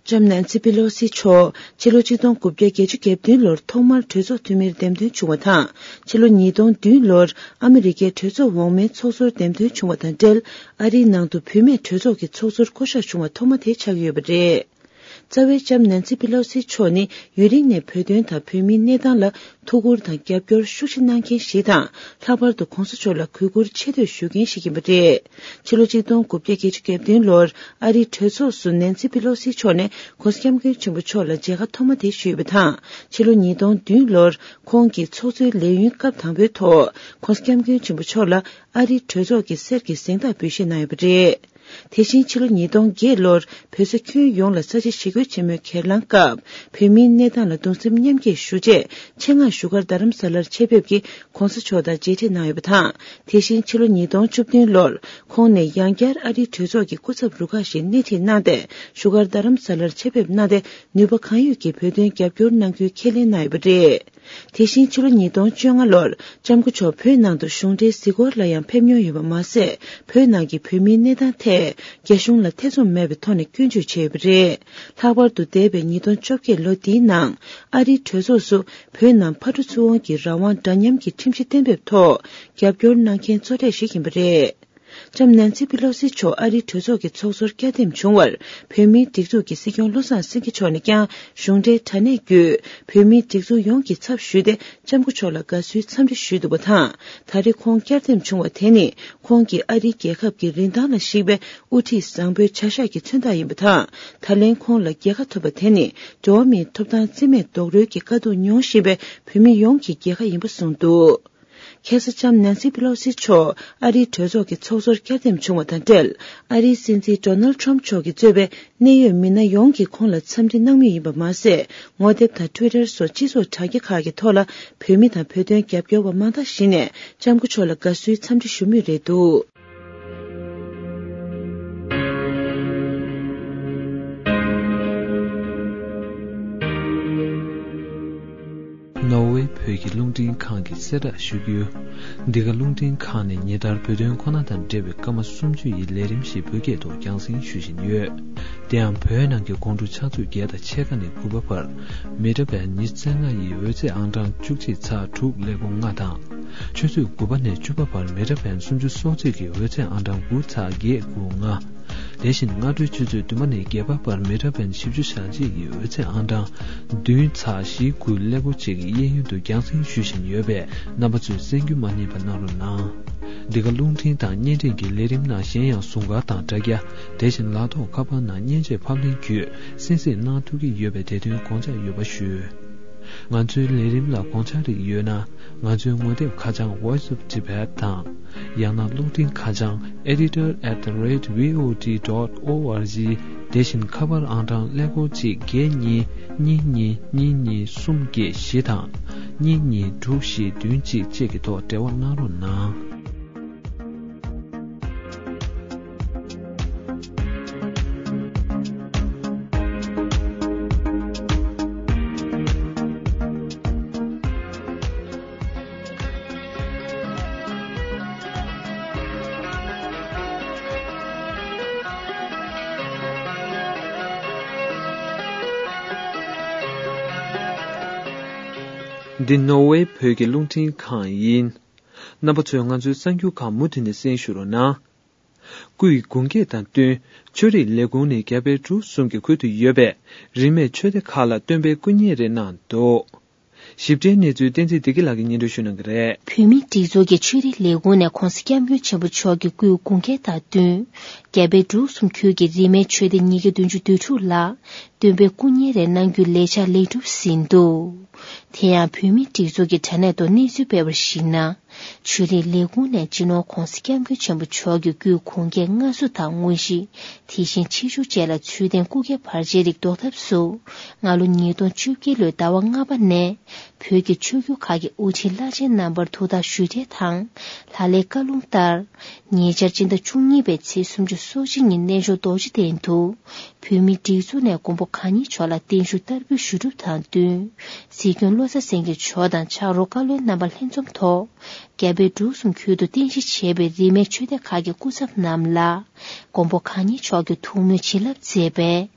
ལྕམ་ནན་སི་པི་ལོ་སི་མཆོག་ཕྱི་ལོ་ཆིག་སྟོང་དགུ་བརྒྱ་བརྒྱད་ཅུ་གྱ་བདུན་ལོར་ཐོག་མར་གྲོས་ཚོགས་འཐུས་མིར་འདེམས་ཐོན་བྱུང་བ་དང་། ཕྱི་ལོ་ཉིས་སྟོང་བདུན་ལོར་ཨ་མི་རི་ཀའི་གྲོས་ཚོགས་འོག་མའི་ཚོགས་གཙོར་འདེམས་ཐོན་བྱུང་བ་དང་འབྲེལ། ཨ་རིའི་ནང་དུ་བུད་མེད་གྲོས་ཚོགས་ཀྱི་ཚོགས་གཙོར་བསྐོ་གཞག་བྱུང་བ་ཐོག་མ་དེ་ཆགས་ཀྱི་ཡོད་པ་རེད། རྩ་བའི་ལྕམ་ནན་སི་པི་ལོ་སི་མཆོག་ནི་ཡུན་རིང་ནས་བོད་དོན་དང་བོད་མིའི་གནས་སྟངས་ལ་ཐུགས་ཁུར་དང་རྒྱབ་སྐྱོར་ཤུགས་ཆེ་གནང་མཁན་ཞིག་དང་། ལྷག་པར་དུ་གོང་ས་མཆོག་ལ་གུས་བཀུར་ཆེ་བསྟོད་ཞུ་མཁན་ཞིག་ཡིན་པ་རེད། ཕྱི་ལོ་ཆིག་སྟོང་དགུ་བརྒྱ་བརྒྱད་ཅུ་གྱ་བདུན་ལོར་ཨ་རིའི་གྲོས་ཚོགས་སུ་ནན་སི་པི་ལོ་སི་མཆོག་ནས་གོང་ས་སྐྱབས་མགོན་ཆེན་པོ་མཆོག་ལ་མཇལ་ཁ་ཐོག་མ་དེ་ཞུས་པ་དང་། ཕྱི་ལོ་ཉིས་སྟོང་བདུན་ལོར་ཁོང་གིས་ཚོགས་གཙོའི་ལས་ཡུན་སྐབས་དང་པོའི་ཐོག་གོང་ས་སྐྱབས་མགོན་ཆེན་པོ་མཆོག་ལ་ཨ་རིའི་གྲོས་ཚོགས་ཀྱི་གསེར་གྱི་གཟེངས་རྟགས་འབུལ་བཞེས་གནང་ཡོད་པ་རེད། དེ་བཞིན་ཕྱི་ལོ་ཉིས་སྟོང་བརྒྱད་ལོར་བོད་ས་ཁྱོན་ཡོངས་ལ་ས་ཆ་ཞི་རྒོལ་ཆེན་མོའི་སྒེར་ལངས་སྐབས་བོད་མིའི་གནས་སྟངས་ལ་གདུང་སེམས་མཉམ་སྐྱེད་ཞུ་ཆེད་ཆེད་མངགས་བཞུགས་སྒར་རྡ་རམ་ས་ལར་ཆེད་ཕེབས་ཀྱིས་༧གོང་ས་མཆོག་དང་མཇལ་འཕྲད་གནང་ཡོད་པ་དང་། དེ་བཞིན་ཕྱི་ལོ་ཉིས་སྟོང་བཅུ་བདུན་ལོར་ཁོང་ནས་ཡང་བསྐྱར་ཨ་རིའི་གྲོས་ཚོགས་ཀྱི་སྐུ་ཚབ་རུ་ཁག་ཞིག་སྣེ་ཁྲིད་གནང་སྟེ་བཞུགས་སྒར་རྡ་རམ་ས་ལར་ཆེད་ཕེབས་གནང་སྟེ་ནུས་པ་གང་ཡོད་ཀྱིས་བོད་དོན་རྒྱབ་སྐྱོར་གནང་རྒྱུའི་ཁས་ལེན་གནང་ཡོད་པ་རེད། དེ་བཞིན་ཕྱི་ལོ་ཉིས་སྟོང་བཅོ་ལྔ་ལོར་ལྕམ་སྐུ་མཆོག་བོད་ནང་དུ་གཞུང་འབྲེལ་གཟིགས་སྐོར་ལ་ཡང་ཕེབས་མྱོང་ཡོད་པ་མ་ཟད། བོད་ནང་གི་བོད་མིའི་གནས་སྟངས་ཐད་རྒྱ་གཞུང་ལ་ཐེ་ཚོམ་མེད་པའི་ཐོག་ནས་སྐྱོན་བརྗོད་བྱས་ཡོད་པ་རེད། ལྷག་པར་དུ་འདས་པའི་ཉིས་སྟོང་བཅོ་བརྒྱད་ལོ་འདིའི་ནང་ཨ་རིའི་གྲོས་ཚོགས་སུ་བོད་ནང་ཕར་འགྲོ་ཚུར་འོང་གི་རང་དབང་འདྲ་མཉམ་གྱི་ཁྲིམས་གཞི་གཏན་འབེབས་ཐོག་རྒྱབ་སྐྱོར་གནང་མཁན་གཙོ་གྲས་ཤིག་ཡིན་པ་རེད། ལྕམ་ནན་སི་པི་ལོ་སི་མཆོག་ཨ་རིའི་གྲོས་ཚོགས་ཀྱི་ཚོགས་གཙོར་བསྐྱར་འདེམས་བྱུང་བར་བོད་མིའི་སྒྲིག་འཛུགས་ཀྱི་སྲིད་སྐྱོང་བློ་བཟང་སེང་གེ་མཆོག་ནས་ཀྱང་གཞུང་འབྲེལ་དྲ་གནས་བརྒྱུད་བོད་མིའི་སྒྲིག་འཛུགས་ཡོངས་ཀྱི་ཚབ་ཞུས་ཏེ་ལྕམ་སྐུ་མཆོག་ལ་དགའ་བསུའི་འཚམས་འདྲི་ཞུས་འདུག་པ་དང་། ད་རེས་ཁོང་བསྐྱར་འདེམས་བྱུང་བ་དེ་ནི་ཁོང་གིས་ཨ་རིའི་རྒྱལ་ཁབ་ཀྱི་རིན་ཐང་ལ་གཞིགས་པའི་དབུ་ཁྲིད་བཟང་པོའི་བྱ་གཞག་གི་མཚོན་རྟགས་ཡིན་པ་དང་། ད་ལན་ཁོང་ལ་རྒྱལ་ཁ་ཐོབ་པ་དེ་ནི་འགྲོ་བ་མིའི་ཐོབ་ཐང་རྩིས་མེད་རྡོག་རོལ་གྱི་དཀའ་སྡུག་མྱོང་བཞིན་པའི་བོད་མི་ཡོངས་ཀྱི་རྒྱལ་ཁ་ཡིན་པ་གསུངས་འདུག་ཁ་སང་ལྕམ་ནན་སི་པི་ལོ་སི་མཆོག་ཨ་རིའི་གྲོས་ཚོགས་ཀྱི་ཚོགས་གཙོར་བསྐྱར་འདེམས་བྱུང་བ་དང་འབྲེལ། ཨ་རིའི་སྲིད་འཛིན་ཌོ་ནལ་ཊམ་མཆོག་གིས་གཙོས་པའི་གནད་ཡོད་མི་སྣ་ཡོངས་ཀྱིས་ཁོང་ལ་འཚམས་འདྲི་གནང་མུས་ཡིན་པ་མ་ཟད། ངོ་དེབ་དང་ཊུའི་ཊར་སོགས་སྤྱི་ཚོགས་དྲ་རྒྱ་ཁག་གི་ཐོག་ལ་བོད་མི་དང་བོད་དོན་རྒྱབ་སྐྱོར་བ་མང་དག་ཞིག་ནས་ལྕམ་སྐུ་མཆོག་ལ་དགའ་བསུའི་འཚམས་འདྲི་ཞུ་མུས་རེད་འདུག་ནོར་ཝེ་བོད་ཀྱི་རླུང་འཕྲིན་ཁང་གི་གསལ་བསྒྲགས་ཞུ་རྒྱུ། འདི་ག་རླུང་འཕྲིན་ཁང་ནས་ཉིན་ལྟར་བོད་དོན་ཁོ་ན་དང་འབྲེལ་བའི་སྐར་མ་སུམ་ཅུ་ཡི་ལས་རིམ་ཞིག་བོད་སྐད་དུ་རྒྱང་སྲིང་ཞུ་བཞིན་ཡོད། དེ་ཡང་བོད་ནང་གི་དགོང་དྲོ་ཆུ་ཚོད་བརྒྱད་དང་ཕྱེད་ཀ་ནས་དགུ་པ་བར། མི་ཊར་བེན་ཉི་ཤུ་རྩ་ལྔ་ཡི་འོད་ཚད་ཨང་གྲངས་བཅུ་གཅིག་ཚེག་དྲུག་ཀླད་ཀོར་ལྔ་དང་། ཆུ་ཚོད་དགུ་པ་ནས་བཅུ་པ་བར་མི་ཊར་བེན་སུམ་ཅུ་སོ་གཅིག་གི་འོད་ཚད་ཨང་གྲངས་དགུ་ཚེག་བརྒྱད་དགུ་ལྔ། དེ་བཞིན་སྔ་དྲོའི་ཆུ་ཚོད་བདུན་པ་ནས་བརྒྱད་པ་བར་མི་ཊར་བེན་བཞི་བཅུ་ཞེ་གཅིག་གི་འོད་ཚད་ཨང་གྲངས་བདུན་ཚེག་བཞི་དགུ་ཀླད་ཀོར་གཅིག་གི་གཡས་གཡོན་དུ་རྒྱང་སྲིང་ཞུ་བཞིན་ཡོད་པས། རྣམ་པ་ཚོས་གསན་རྒྱུ་མ་བསྙེལ་བ་གནང་རོགས་གནང་། འདི་ག་རླུང་འཕྲིན་དང་བརྙན་འཕྲིན་གྱི་ལས་རིམ་ནང་གཞན་ཡང་ཟུར་མཁར་དང་དྲ་རྒྱ། དེ་བཞིན་ལག་ཐོགས་ཁ་པར་ནང་མཉེན་ཆས་ཕབ་ལེན་བརྒྱུད་གསན་གཟིགས་གནང་ཐུབ་ཀྱི་ཡོད་པས། དེ་དོན་དགོངས་འཇགས་ཡོད་པ་ཞུ། ང་ཚོའི་ལས་རིམ་ལ་དགོངས་འཆར་རིགས་ཡོད་ན། ང་ཚོའི་ངོ་དེབ་ཁ་བྱང་Voice of Tibet དང་། ཡང་ན་གློག་འཕྲིན་ཁ་བྱང་editor at the rate V O D dot O R G། དེ་བཞིན་ཁ་པར་ཨང་གྲངས་ཀླད་ཀོར་གཅིག་བརྒྱད་གཉིས་གཉིས་གཉིས་གཉིས་གཉིས་གསུམ་བརྒྱད་བཞི་དང་། གཉིས་གཉིས་དྲུག་བཞི་བདུན་གཅིག་བཅས་ཀྱི་ཐོག་འབྲེལ་བ་གནང་རོགས་གནང་། འདི་ནོར་ཝེ་བོད་ཀྱི་རླུང་འཕྲིན་ཁང་ཡིན། རྣམ་པ་ཚོས་ང་ཚོའི་གསར་འགྱུར་ཁག་མུ་མཐུད་ནས་གསན་ཞུ་རོགས་གནང་། སྐུའི་དགུང་སྐེག་དང་བསྟུན། ཆོས་རིག་ལས་ཁུངས་ནས་རྒྱ་བལ་འབྲུག་གསུམ་གྱི་ཁུལ་དུ་ཡོད་པའི་རིས་མེད་ཆོས་སྡེ་ཁག་ལ་སྟོན་པའི་སྐུ་བརྙན་རེ་གནང་འདུག་ཞིབ་ཕྲའི་གནས་ཚུལ་བསྟན་འཛིན་བདེ་སྐྱིད་ལགས་ཀྱིས་སྙན་སྒྲོན་ཞུ་གནང་གི་རེད། བོད་མིའི་སྒྲིག་འཛུགས་ཀྱི་ཆོས་རིག་ལས་ཁུངས་ནས་༧གོང་ས་༧སྐྱབས་མགོན་ཆེན་པོ་མཆོག་གི་སྐུའི་དགུང་སྐེག་དང་བསྟུན། རྒྱ་བལ་འབྲུག་གསུམ་ཁུལ་གྱི་རིས་མེད་ཆོས་སྡེ་ཉིས་བརྒྱ་བདུན་ཅུ་དོན་དྲུག་ལ་སྟོན་པའི་སྐུ་བརྙན་རེ་གནང་རྒྱུའི་ལས་འཆར་ལེགས་གྲུབ་ཟིན་འདུག་དེ་ཡང་བོད་མིའི་སྒྲིག་འཛུགས་ཀྱི་དྲ་གནས་ཐོག་གནས་ཚུལ་སྤེལ་བར་གཞིགས་ན། ཆོས་རིག་ལས་ཁུངས་ནས་སྤྱི་ནོར་༧གོང་ས་༧སྐྱབས་མགོན་ཆེན་པོ་མཆོག་གི་སྐུའི་དགུང་སྐེག་སྔ་གཟུགས་དང་དངོས་གཞི། དེ་བཞིན་ཆེ་ཆུང་བཅས་ལ་ཚུལ་ལྡན་སྐུ་སྐྱེ་བར་ཆད་རིགས་ཟློག་ཐབས་སུ། སྔ་ལོ་ཉིས་སྟོང་བཅོ་བརྒྱད་ལོའི་ཟླ་བ་ལྔ་པ་ནས། བོད་ཀྱི་ཆོས་བརྒྱུད་ཁག་གི་དབུ་ཁྲིད་བླ་ཆེན་རྣམ་པར་ཐུགས་ཐག་ཞུ་གྲལ་དང་། ལྷ་ལས་བཀའ་ལུང་ལྟར། ཉེ་ཆར་སྤྱི་ཟླ་བཅུ་གཉིས་པའི་ཚེས་སུམ་ཅུ་སོ་གཅིག་ཉིན་གནས་མཆོག་རྡོ་རྗེ་གདན་དུ། བོད་མིའི་སྒྲིག་འཛུགས་ནས་མགོན་པོ་གང་ཉིད་མཆོག་ལ་བརྟན་བཞུགས་བསྟར་འབུལ་ཞུ་སྒྲུབ་དང་བསྟུན། སྲིད་སྐྱོང་བློ་བཟང་སེང་གེ་མཆོག་དང་ཕྱག་རོགས་བཀའ་བློན་རྣམ་པ་ལྷན་འཛོམས་ཐོག་རྒྱ་བལ་འབྲུག་གསུམ་ཁུལ་དུ་རྟེན་གཞི་བྱས་པའི་རིས་མེད་ཆོས་སྡེ་ཁག་གི་སྐུ་ཚབ་རྣམས་ལ། མགོན་པོ་གང་ཉིད་མཆོག་གི་ཐུགས་སྨོན་བྱིན་རླབས་མཛད་པས།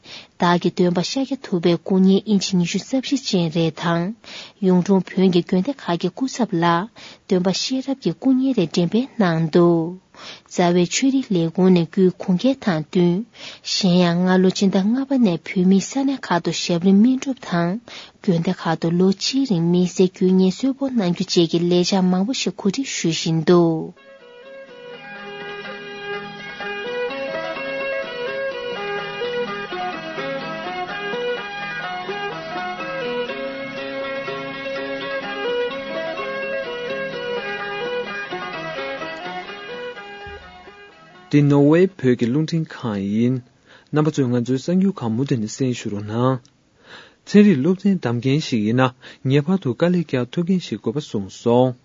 བདག་གི་སྟོན་པ་ཤཱཀྱ་ཐུབ་པའི་སྐུ་བརྙན་ཨིན་ཅི་ཉི་ཤུ་རྩ་བཞི་ཅན་རེ་དང་། གཡུང་དྲུང་བོན་གྱི་དགོན་སྡེ་ཁག་གི་སྐུ་ཚབ་ལ། སྟོན་པ་ཤེས་རབ་ཀྱི་སྐུ་བརྙན་རེ་འགྲེམས་སྤེལ་གནང་འདུག་རྩ་བའི་ཆོས་རིག་ལས་ཁུངས་ནས་སྐུའི་དགུང་སྐེག་དང་བསྟུན། གཞན་ཡང་སྔ་ལོ་སྤྱི་ཟླ་ལྔ་པ་ནས་བོད་མིའི་ས་གནས་ཁག་ཏུ་ཞབས་རིམ་སྨིན་སྒྲུབ་དང་། དགོན་སྡེ་ཁག་ཏུ་ལོ་གཅིག་རིང་དམིགས་བསལ་དཀྱུས་བརྙན་གསོལ་ཕོགས་གནང་རྒྱུ་བཅས་ཀྱི་ལས་འཆར་མང་པོ་ཞིག་གོ་སྒྲིག་ཞུ་བཞིན་འདུག་འདི་ནོར་ཝེ་བོད་ཀྱི་རླུང་འཕྲིན་ཁང་ཡིན། རྣམ་པ་ཚོས་ང་ཚོའི་གསར་འགྱུར་ཁག་མུ་མཐུད་ནས་གསན་ཞུ་རོགས་གནང་། ཚན་རིག་སློབ་ཚན་འདེམས་མཁན་ཞིག་ཡིན་ན་ངེས་པར་དུ་དཀའ་ལས་རྒྱག་ཐུབ་མཁན་ཞིག་དགོས་པ་གསུངས་སོང་།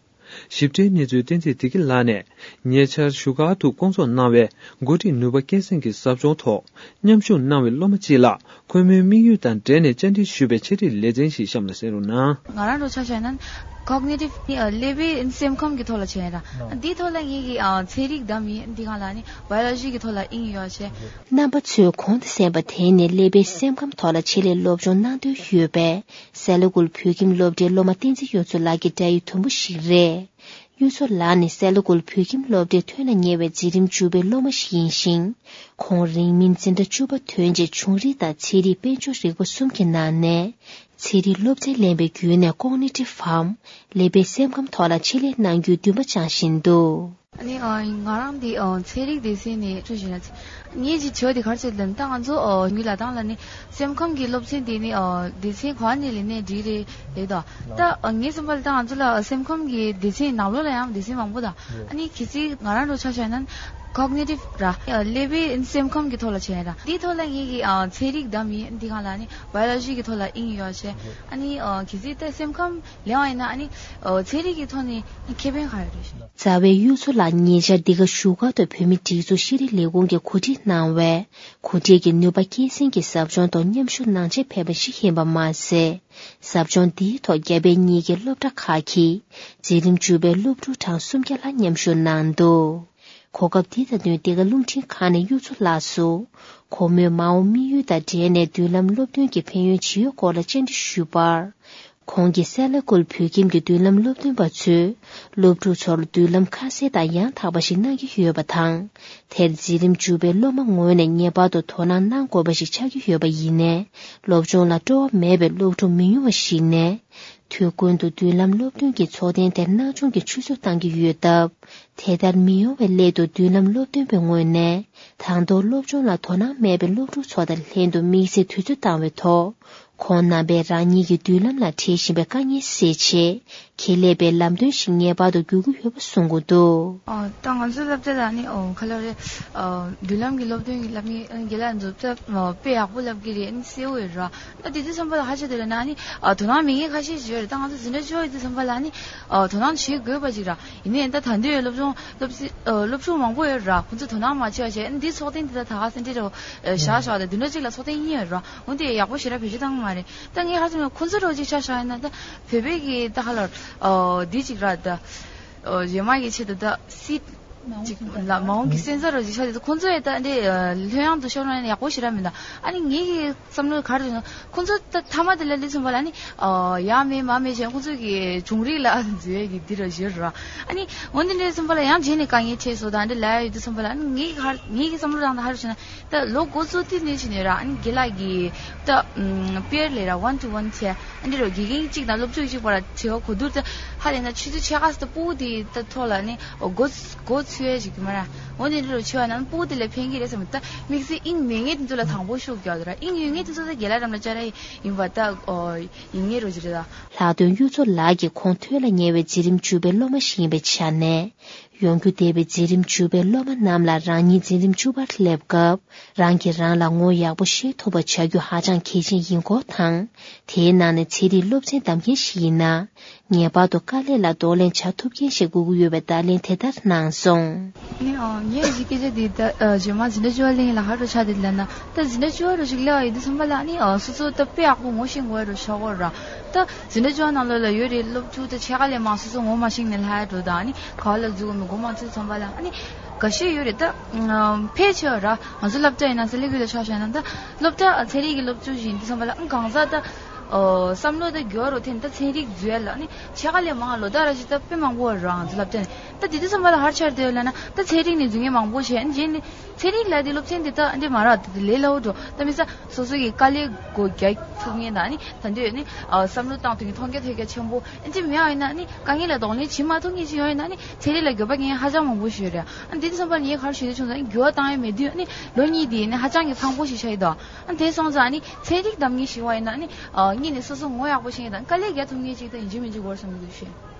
ཞིབ་ཕྲའི་གནས་ཚུལ་བསྟན་འཛིན་བདེ་སྐྱིད་ལགས་ནས་ཉེ་ཆར་བཞུགས་སྒར་དུ་བསྐོང་ཚོགས་གནང་བའི་འགོ་ཁྲིད་ནུས་པ་སྐྱེད་སྲིང་གི་ཟབ་སྦྱོང་ཐོག་མཉམ་ཞུགས་གནང་བའི་སློབ་མ་གཅིག་ལ། ཁོ་མོའི་དམིགས་ཡུལ་དང་འབྲེལ་ནས་བཅར་འདྲི་ཞུས་པའི་འཆད་ཁྲིད་ལེ་ཚན་ཞིག་གཤམ་ལ་གསན་རོགས་གནང་། ང་རང་ཚོ་ཆ་བཞག་ན་ཀོག་ནེ་ཊིབ་ནི་ཀླད་པའི་སེམས་ཁམས་ཀྱི་ཐོག་ལ་བྱས་ཡ་ར། འདིའི་ཐོག་ལ་ངེད་ཀྱིས་ཚན་རིག་བདམས་ཡིན། འདི་སྒང་ལ་ནི་བྷ་ཡོ་ལོ་ཇི་གི་ཐོག་ལ་དབྱིངས་ཡོད་བྱས། རྣམ་པ་ཚོས་གོང་དུ་གསན་པ་དེ་ནི་ཀླད་པའི་སེམས་ཁམས་ཐོག་ལ་ཆེད་ལས་སློབ་སྦྱོང་གནང་འདོད་ཡོད་པའི་སེ་ལ་ཀུལ་བོད་ཁྱིམ་སློབ་གྲྭའི་སློབ་མ་བསྟན་འཛིན་གཡུ་མཚོ་ལགས་ཀྱི་འབྲེལ་ཡོད་དུམ་བུ་ཞིག་རེད། གཡུ་མཚོ་ལགས་ནི་སེ་ལ་ཀུལ་བོད་ཁྱིམ་སློབ་གྲྭའི་ཐོན་ལ་ཉེ་བའི་འཛིན་རིམ་བཅུ་པའི་སློབ་མ་ཞིག་ཡིན་ཞིང་། ཁོང་རིང་མིན་འཛིན་གྲྭ་བཅུ་པ་ཐོན་རྗེས་ཆུང་རིགས་དང་ཚན་རིག་དཔལ་འབྱོར་རིག་པ་གསུམ་གྱི་ནང་ནས་ཚན་རིག་སློབ་ཚན་ལེན་པའི་བརྒྱུད་ནས་ཀོག་ནེ་ཊིབ་བམ་ཀླད་པའི་སེམས་ཁམས་ཐོག་ལ་ཆེད་ལས་གནང་རྒྱུའི་འདུན་པ་བཅངས་བཞིན་འདུག་ཨ་ནི་ཨ་ང་རང་འདི་ཨ་ཚན་རིག་སྡེ་ཚན་ནས་ཐུགས་བཞེས་ན། ངས་ཅིག་བྱས་པ་དེ་ག་རེ་བྱས་ལབ་ན། ད་ང་ཚོ་ཨ་མི་ལ་དང་ལ་ནི་སེམས་ཁམས་ཀྱི་སློབ་ཚན་དེ་ནི་ཨ་སྡེ་ཚན་ག་ནས་ལེན་ནའི་འགྲིག་རེད་ལབ་དོ། ད་ཨ་ངའི་བསམ་པ་ལ་ད་ང་ཚོ་ལ་སེམས་ཁམས་ཀྱི་སྡེ་ཚན་ནང་ལོགས་ལ་ཡང་སྡེ་ཚན་མང་པོ་དང་། ཨ་ནི་གལ་སྲིད་ང་རང་ཚོ་ཆ་བཞག་ན་ཀོག་ནེ་ཊིབ་ར། ཨ་ཀླད་པའི་སེམས་ཁམས་ཀྱི་ཐོག་ལ་བྱས་ར། འདིའི་ཐོག་ལ་ངས་ཀྱི་ཨ་ཚན་རིག་བདམས་ཡིན། འདི་སྒང་ལ་ནི་བྷ་ཡོ་ལོ་ཇི་གི་ཐོག་ལ་དབྱིངས་ཡོད་བྱས། ཨ་ནི་ཨ་གལ་སྲིད་ད་སེམས་ཁམས་ལེན་པ་ཡིན་ན་ཨ་ནི་ཨ་ཚན་རིག་གི་ཐོག་ནས་ཁེ་ཕན་ག་ཡོད་རེད། རྩ་བའི་གཡུ་མཚོ་ལགས་ཉེ་ཆར་འདི་ག་བཞུགས་སྒར་དུ་བོད་མིའི་སྒྲིག་འཛུགས་ཤེས་རིག་ལས་ཁུངས་ཀྱིས་གོ་སྒྲིག་གནང་བའི་གོ་སྒྲིག་གི་ནུས་པ་སྐྱེད་སྲིང་གི་ཟབ་སྦྱོང་ཐོག་མཉམ་ཞུགས་གནང་ཆེད་ཕེབས་པ་ཞིག་ཡིན་པ་མ་ཟད། ཟབ་སྦྱོང་འདིའི་ཐོག་རྒྱ་བལ་གཉིས་ཀྱི་སློབ་གྲྭ་ཁག་གི་འཛིན་རིམ་བཅུ་པའི་སློབ་ཕྲུག་གྲངས་སུམ་བརྒྱ་ལྷག་མཉམ་ཞུགས་གནང་འདུག་གོ་སྐབས་འདི་དང་བསྟུན་འདི་ག་རླུང་འཕྲིན་ཁང་ནས་གཡུ་མཚོ་ལགས་སུ་ཁོ་མོའི་མ་འོངས་དམིགས་ཡུལ་དང་འབྲེལ་ནས་མདུན་ལམ་སློབ་སྟོན་གྱི་ཕན་ཡོན་ཇི་ཡོད་སྐོར་ལ་བཅར་འདྲི་ཞུས་པར། ཁོང་གིས་སེ་ལ་ཀུལ་བོད་ཁྱིམ་གྱི་མདུན་ལམ་སློབ་སྟོན་པ་ཚོས་སློབ་ཕྲུག་ཚོར་མདུན་ལམ་ཁ་གསལ་དང་ཡང་དག་པ་ཞིག་གནང་གི་ཡོད་པ་དང་། དེར་འཛིན་རིམ་བཅུ་པའི་སློབ་མ་ངོས་ནས་ངེས་པར་དུ་དོ་སྣང་གནང་དགོས་པ་ཞིག་ཆགས་ཀྱི་ཡོད་པ་ཡིན་ནའི། སློབ་སྦྱོང་ལ་སྤྲོ་བ་མེད་པའི་སློབ་ཕྲུག་མི་ཉུང་བ་ཞིག་ནས། དུས་ཀུན་ཏུ་མདུན་ལམ་སློབ་སྟོན་གྱི་ཚོགས་ཐེངས་དེར་སྣང་ཆུང་གིས་ཆུད་ཟོས་བཏང་གི་ཡོད་སྟབས། དེ་ལྟར་མི་ཡོང་བའི་སླད་དུ་མདུན་ལམ་སློབ་སྟོན་པའི་ངོས་ནས་དང་ཐོག་སློབ་སྦྱོང་ལ་དོ་སྣང་མེད་པའི་སློབ་ཕྲུག་ཚོ་དང་ལྷན་དུ་དམིགས་བསལ་དུས་ཚོད་བཏང་བའི་ཐོག་ཁོང་རྣམ་པས་རང་ཉིད་ཀྱི་མདུན་ལམ་ལ་འཕྲད་བཞིན་པའི་དཀའ་ངལ་སེལ་ཆེད་ཁེ་ལས་པའི་ལམ་སྟོན་ཞིག་ངེས་པར་དུ་དགོས་ཀྱི་ཡོད་པ་གསུང་གི་འདུག་ཨ་ད་ང་ཚོའི་སློབ་གྲྭ་ལ་ནི་ཨོ་ག་ལ་རེད། ཨ་མདུན་ལམ་གྱི་སློབ་སྟོན་གྱི་སློབ་མི་རྒན་ལགས་ཚོ་དཔེ་ཡག་པོ་སློབ་ཀྱི་རེད། ཨ་ནི་གསལ་བོ་ཡོད་ར། ད་དེ་དུས་ཙམ་པ་ལ་ཧ་ཅང་དེ་ལ་ན་ནི་ཨ་དོ་སྣང་མེད་མཁན་ཁ་ཤས་ཤིག་ཡོད་རེད། ད་ང་ཚོ་འཛིན་གྲྭ་བཅུ་པ་ཡོད་དུས་ཙམ་པ་ལ་ནི་ཨ་དོ་སྣང་བྱེད་དགོས་པ་ཅིག་ར། ཡིན་ནའི་ད་ད་འདི་ཡོད་སློབ་སྦྱོང་སློབ་སི་ཨ་སློབ་ཕྲུག་མང་པོ་ཡོད་ར། ཁོང་ཚོས་དོ་སྣང་མ་བྱས་པ་བྱས། ཨ་ནི་འདི་ཚོགས་ཐེངས་འདི་ད་ད་ག་སེ་འབྲས་ར་བཞག་བཞག་ད་བདུན་ཕྲག་གཅིག་ལ་ཚོགས་ཐེངས་གཉིས་ཡོད་ར། འོན་ཏེ་ཡག་པོ་ཞེ་དྲག་བེད་སྤྱོད་བཏང་གི་མ་རེད། ད་ངས་ཧ་ཅང་ཁོང་ཚོ་རོགས་ཅིག་ཆ་བཞག་ཡིན་ན་ད་བོད་པའི་གི་ད་ཧ་ལ་ཨ་འདི་ཅིག་ར། ད་ཨ་གཞན་མ་གི་ཆེད་དུ་ད་སྲིད་ཅིག་ལ་མ་འོངས་ཀྱི་སེམས་ཚོར་རོ་ཅིག་ཤར་དུས་ཁོང་ཚོ་ཡི་ད་འདི་ལྷོད་ཡངས་དུ་ཤོར་ན་ཡག་པོ་ཞེ་དྲག་མི་འདུག་ཨ་ནི་ངེད་ཀྱི་བསམ་བློ་ག་རེ་ཡོད་ན་ཁོང་ཚོ་ད་མཐའ་མ་དེ་ལ་སླེབས་ཙམ་པ་ལ་ནི་ཡ་མེད་མ་མེད་བྱས་ཁོང་ཚོ་གི་གཞུང་རིག་ལ་འཛུལ་ཡས་ཀྱི་འདི་ར་བཞིར་ར། ཨ་ནི་འོན་ཏེ་འདྲ་ཙམ་པ་ལ་ཡང་རྗེས་ནས་དཀའ་ངལ་འཕྲད་སོང་། ད་འདི་ལ་ཡ་ཡོད་དུས་ཙམ་པ་ལ་ཨ་ནི་ངེད་ཀྱི་ག་ངེད་ཀྱི་བསམ་བློ་རང་ད་ག་རེ་བྱས་ན། ད་ལོ་འགོ་བཙུགས་དུས་ནས་བྱས་ནས་ར། ཨ་ནི་རྒན་ལགས་ཀྱིས་ད་པེར་ལས་ར་ཝན་ཊུ་ཝན་བྱས། ཨ་འདི་རུ་དགེ་རྒན་གཅིག་དང་སློབ་ཕྲུག་གཅིག་བར་བྱེད་པ་གོ་བསྡུར་ད་ཧ་ལས་ན་ཆུ་ཚོད་ཕྱེད་ཀ་ཙམ་ད་སྤུ་གུ་དེ་ད་ཐོག་ལ་ནི་འགོ་འགོ་ཚུགས་ཡས་ཅིག་གི་མ་ར། འོ་ནི་འདི་རུ་བྱེད་པ་ན་སྤུ་གུ་དེ་ལ་ཕན་གི་རེད་བསམ། ད་དམིགས་བསལ་དབྱིངས་མེད་མཁན་དེ་ཚོ་ལ་དང་པོ་ཤུགས་རྒྱག་འདུག་ར། དབྱིངས་ཡོད་མཁན་དེ་ཚོ་ད་རྒན་ལགས་རམ་ལ་བཅར་ཡ་ཡིན་པ་ད་ཡིན་ངེས་རོ་ཅི་རེད་ད། ལྷག་དོན་གཡུ་མཚོ་ལགས་ཀྱིས་ཁོང་ཐོན་ལ་ཉེ་བའི་འཛིན་རིམ་བཅུ་པའི་སློབ་མ་ཞིག་ཡིན་པའི་ཆ་ནས། ཡོང་རྒྱུ་འདས་པའི་འཛིན་རིམ་བཅུ་པའི་སློབ་མ་རྣམས་ལ་རང་ཉིད་འཛིན་རིམ་བཅུ་པར་སླེབས་སྐབས། རང་གིས་རང་ལ་ངོ་ཡག་པོ་ཤེས་ཐུབ་པ་བྱ་རྒྱུ་ཧ་ཅང་གལ་ཆེན་ཡིན་སྐོར་དང་། དེའི་ནང་ནས་ཚན་རིག་སློབ་ཚན་བདམས་མཁན་ཞིག་ཡིན་ན། ངེས་པར་དུ་དཀའ་ལས་ལ་གདོང་ལེན་བྱ་ཐུབ་མཁན་ཞིག་དགོས་ཀྱི་ཡོད་པའི་བརྡ་ལན་དེ་ལྟར་གནང་སོང་། ནི་ཨ་ངས་ཀྱི་སྐད་ཆ་འདི་ད་ཨ་རྗེས་མ་འཛིན་གྲྭ་བཅུ་པ་སླེབས་ལ་ཧ་རུ་ཆ་དེ་ལ་ན་ད་འཛིན་གྲྭ་བཅུ་པ་རུ་ཞིག་སླེབས་པ་ཡིན་དུས་ཙམ་པ་ལ་ནི་ཨ་སོ་སོ་ད་དཔེ་ཡག་པོ་ངོ་ཤེས་དགོས་རུ་ཆགས་དགོས་ར། ད་འཛིན་གྲྭ་བཅུ་པ་ནང་ལོགས་ལ་ཡོད་རེད། སློབ་ཕྲུག་ད་ཕྱེད་ཀ་ལས་མང་སོ་སོ་ངོ་མ་ཤེས་ནས་ལྷག་འགྲོ་ད་ནི་ག་བ་ལ་འཛུལ་དགོས་མིན་མགོ་མ་ཚོས་ཙམ་པ་ལ་ནི་འགའ་ཤས་ཡོད་རེད། ད་ཕལ་ཆེ་བ་ར་ང་ཚོ་སློབ་གྲྭ་ཡིན་ན་ས་ལེ་གུ་ལ་ཆ་བཞག་ན་ད་སློབ་གྲྭ་ཚན་རིག་གི་སློབ་ཕྲུག་ཞིག་ཡིན་དུས་ཙམ་པ་ལ་ཨང་གང་ཟག་ད། ཨོ། བསམ་བློ་དང་འགྱུར་བ་རུ་ཐེབས་ད་ཚན་རིག་འཛུལ་ཡ་ལ་ནི་ཕྱེད་ཀ་ལས་མང་ལོ་ཟླ་ར་ཞིག་ད་དཔེ་མང་པོ་རང་ཚོ་སློབ་གྲྭ་ནས་ད་དེ་དུས་ཙམ་པ་ལ་ཧར་ཆར་དེ་ལ་ན་ད་ཚན་རིག་ནས་འཛུལ་མཁན་མང་པོ་བྱས་ཨ་ནི་རྗེས་ནི་ཚན་རིག་ལ་དེ་སློབ་ཚན་དེ་ད་འདི་མ་རག་དེ་ལས་སླ་བོ་འགྲོ་ད་མི་ས་སོ་སོ་གི་དཀའ་ལས་སྒོ་རྒྱག་ཐུབ་མཁན་ད་ནི་ད་འདོད་ནི་བསམ་བློ་བཏང་ཐུབ་མཁན་མཐོང་རྒྱ་ཐོས་རྒྱ་ཆེན་པོ་ཨ་ནི་མེད་ཨ་ཡིན་ན་ནི་དཀའ་ངལ་ལ་གདོང་ལེན་བྱེད་མ་ཐུབ་མཁན་ཞིག་ཡོང་ཡིན་ན་ནི་ཚན་རིག་ལ་འགྱོད་པ་མཁན་ཧ་ཅང་མང་པོ་ཞིག་ཡོད་རེད། ཨ་ནི་དེ་དུས་ཙམ་པ་ལ་ངས་ག་རེ་ཞུ་འདོད་བྱུང་ཙང་འགྱུར་བ་བཏང་ཡ་མེད་དུས་ཨ་ནི་ལོ་གཉིས་དེ་ནི་ཧ་ཅང་གི་ཕངས་པོ་ཞིག་ཆགས་ཡོད་དོ། ཨ་དེ་སོང་ཙང་ནི་ཚན་རིག་གདམ་ངེས་ཤིག་བ་ཡིན་ན་ནི་ཨ་གཉིས་ནས་སོ་སོ་ངོ་ཡག་པོ་ཤེས་ངེས་དང་དཀའ་ལས་རྒྱག་ཐུབ་ངེས་ཅིག་དང་ཡིན་གཅིག་མིན་གཅིག་དགོས་བསམ་གྱི་འདུག་ཤེས།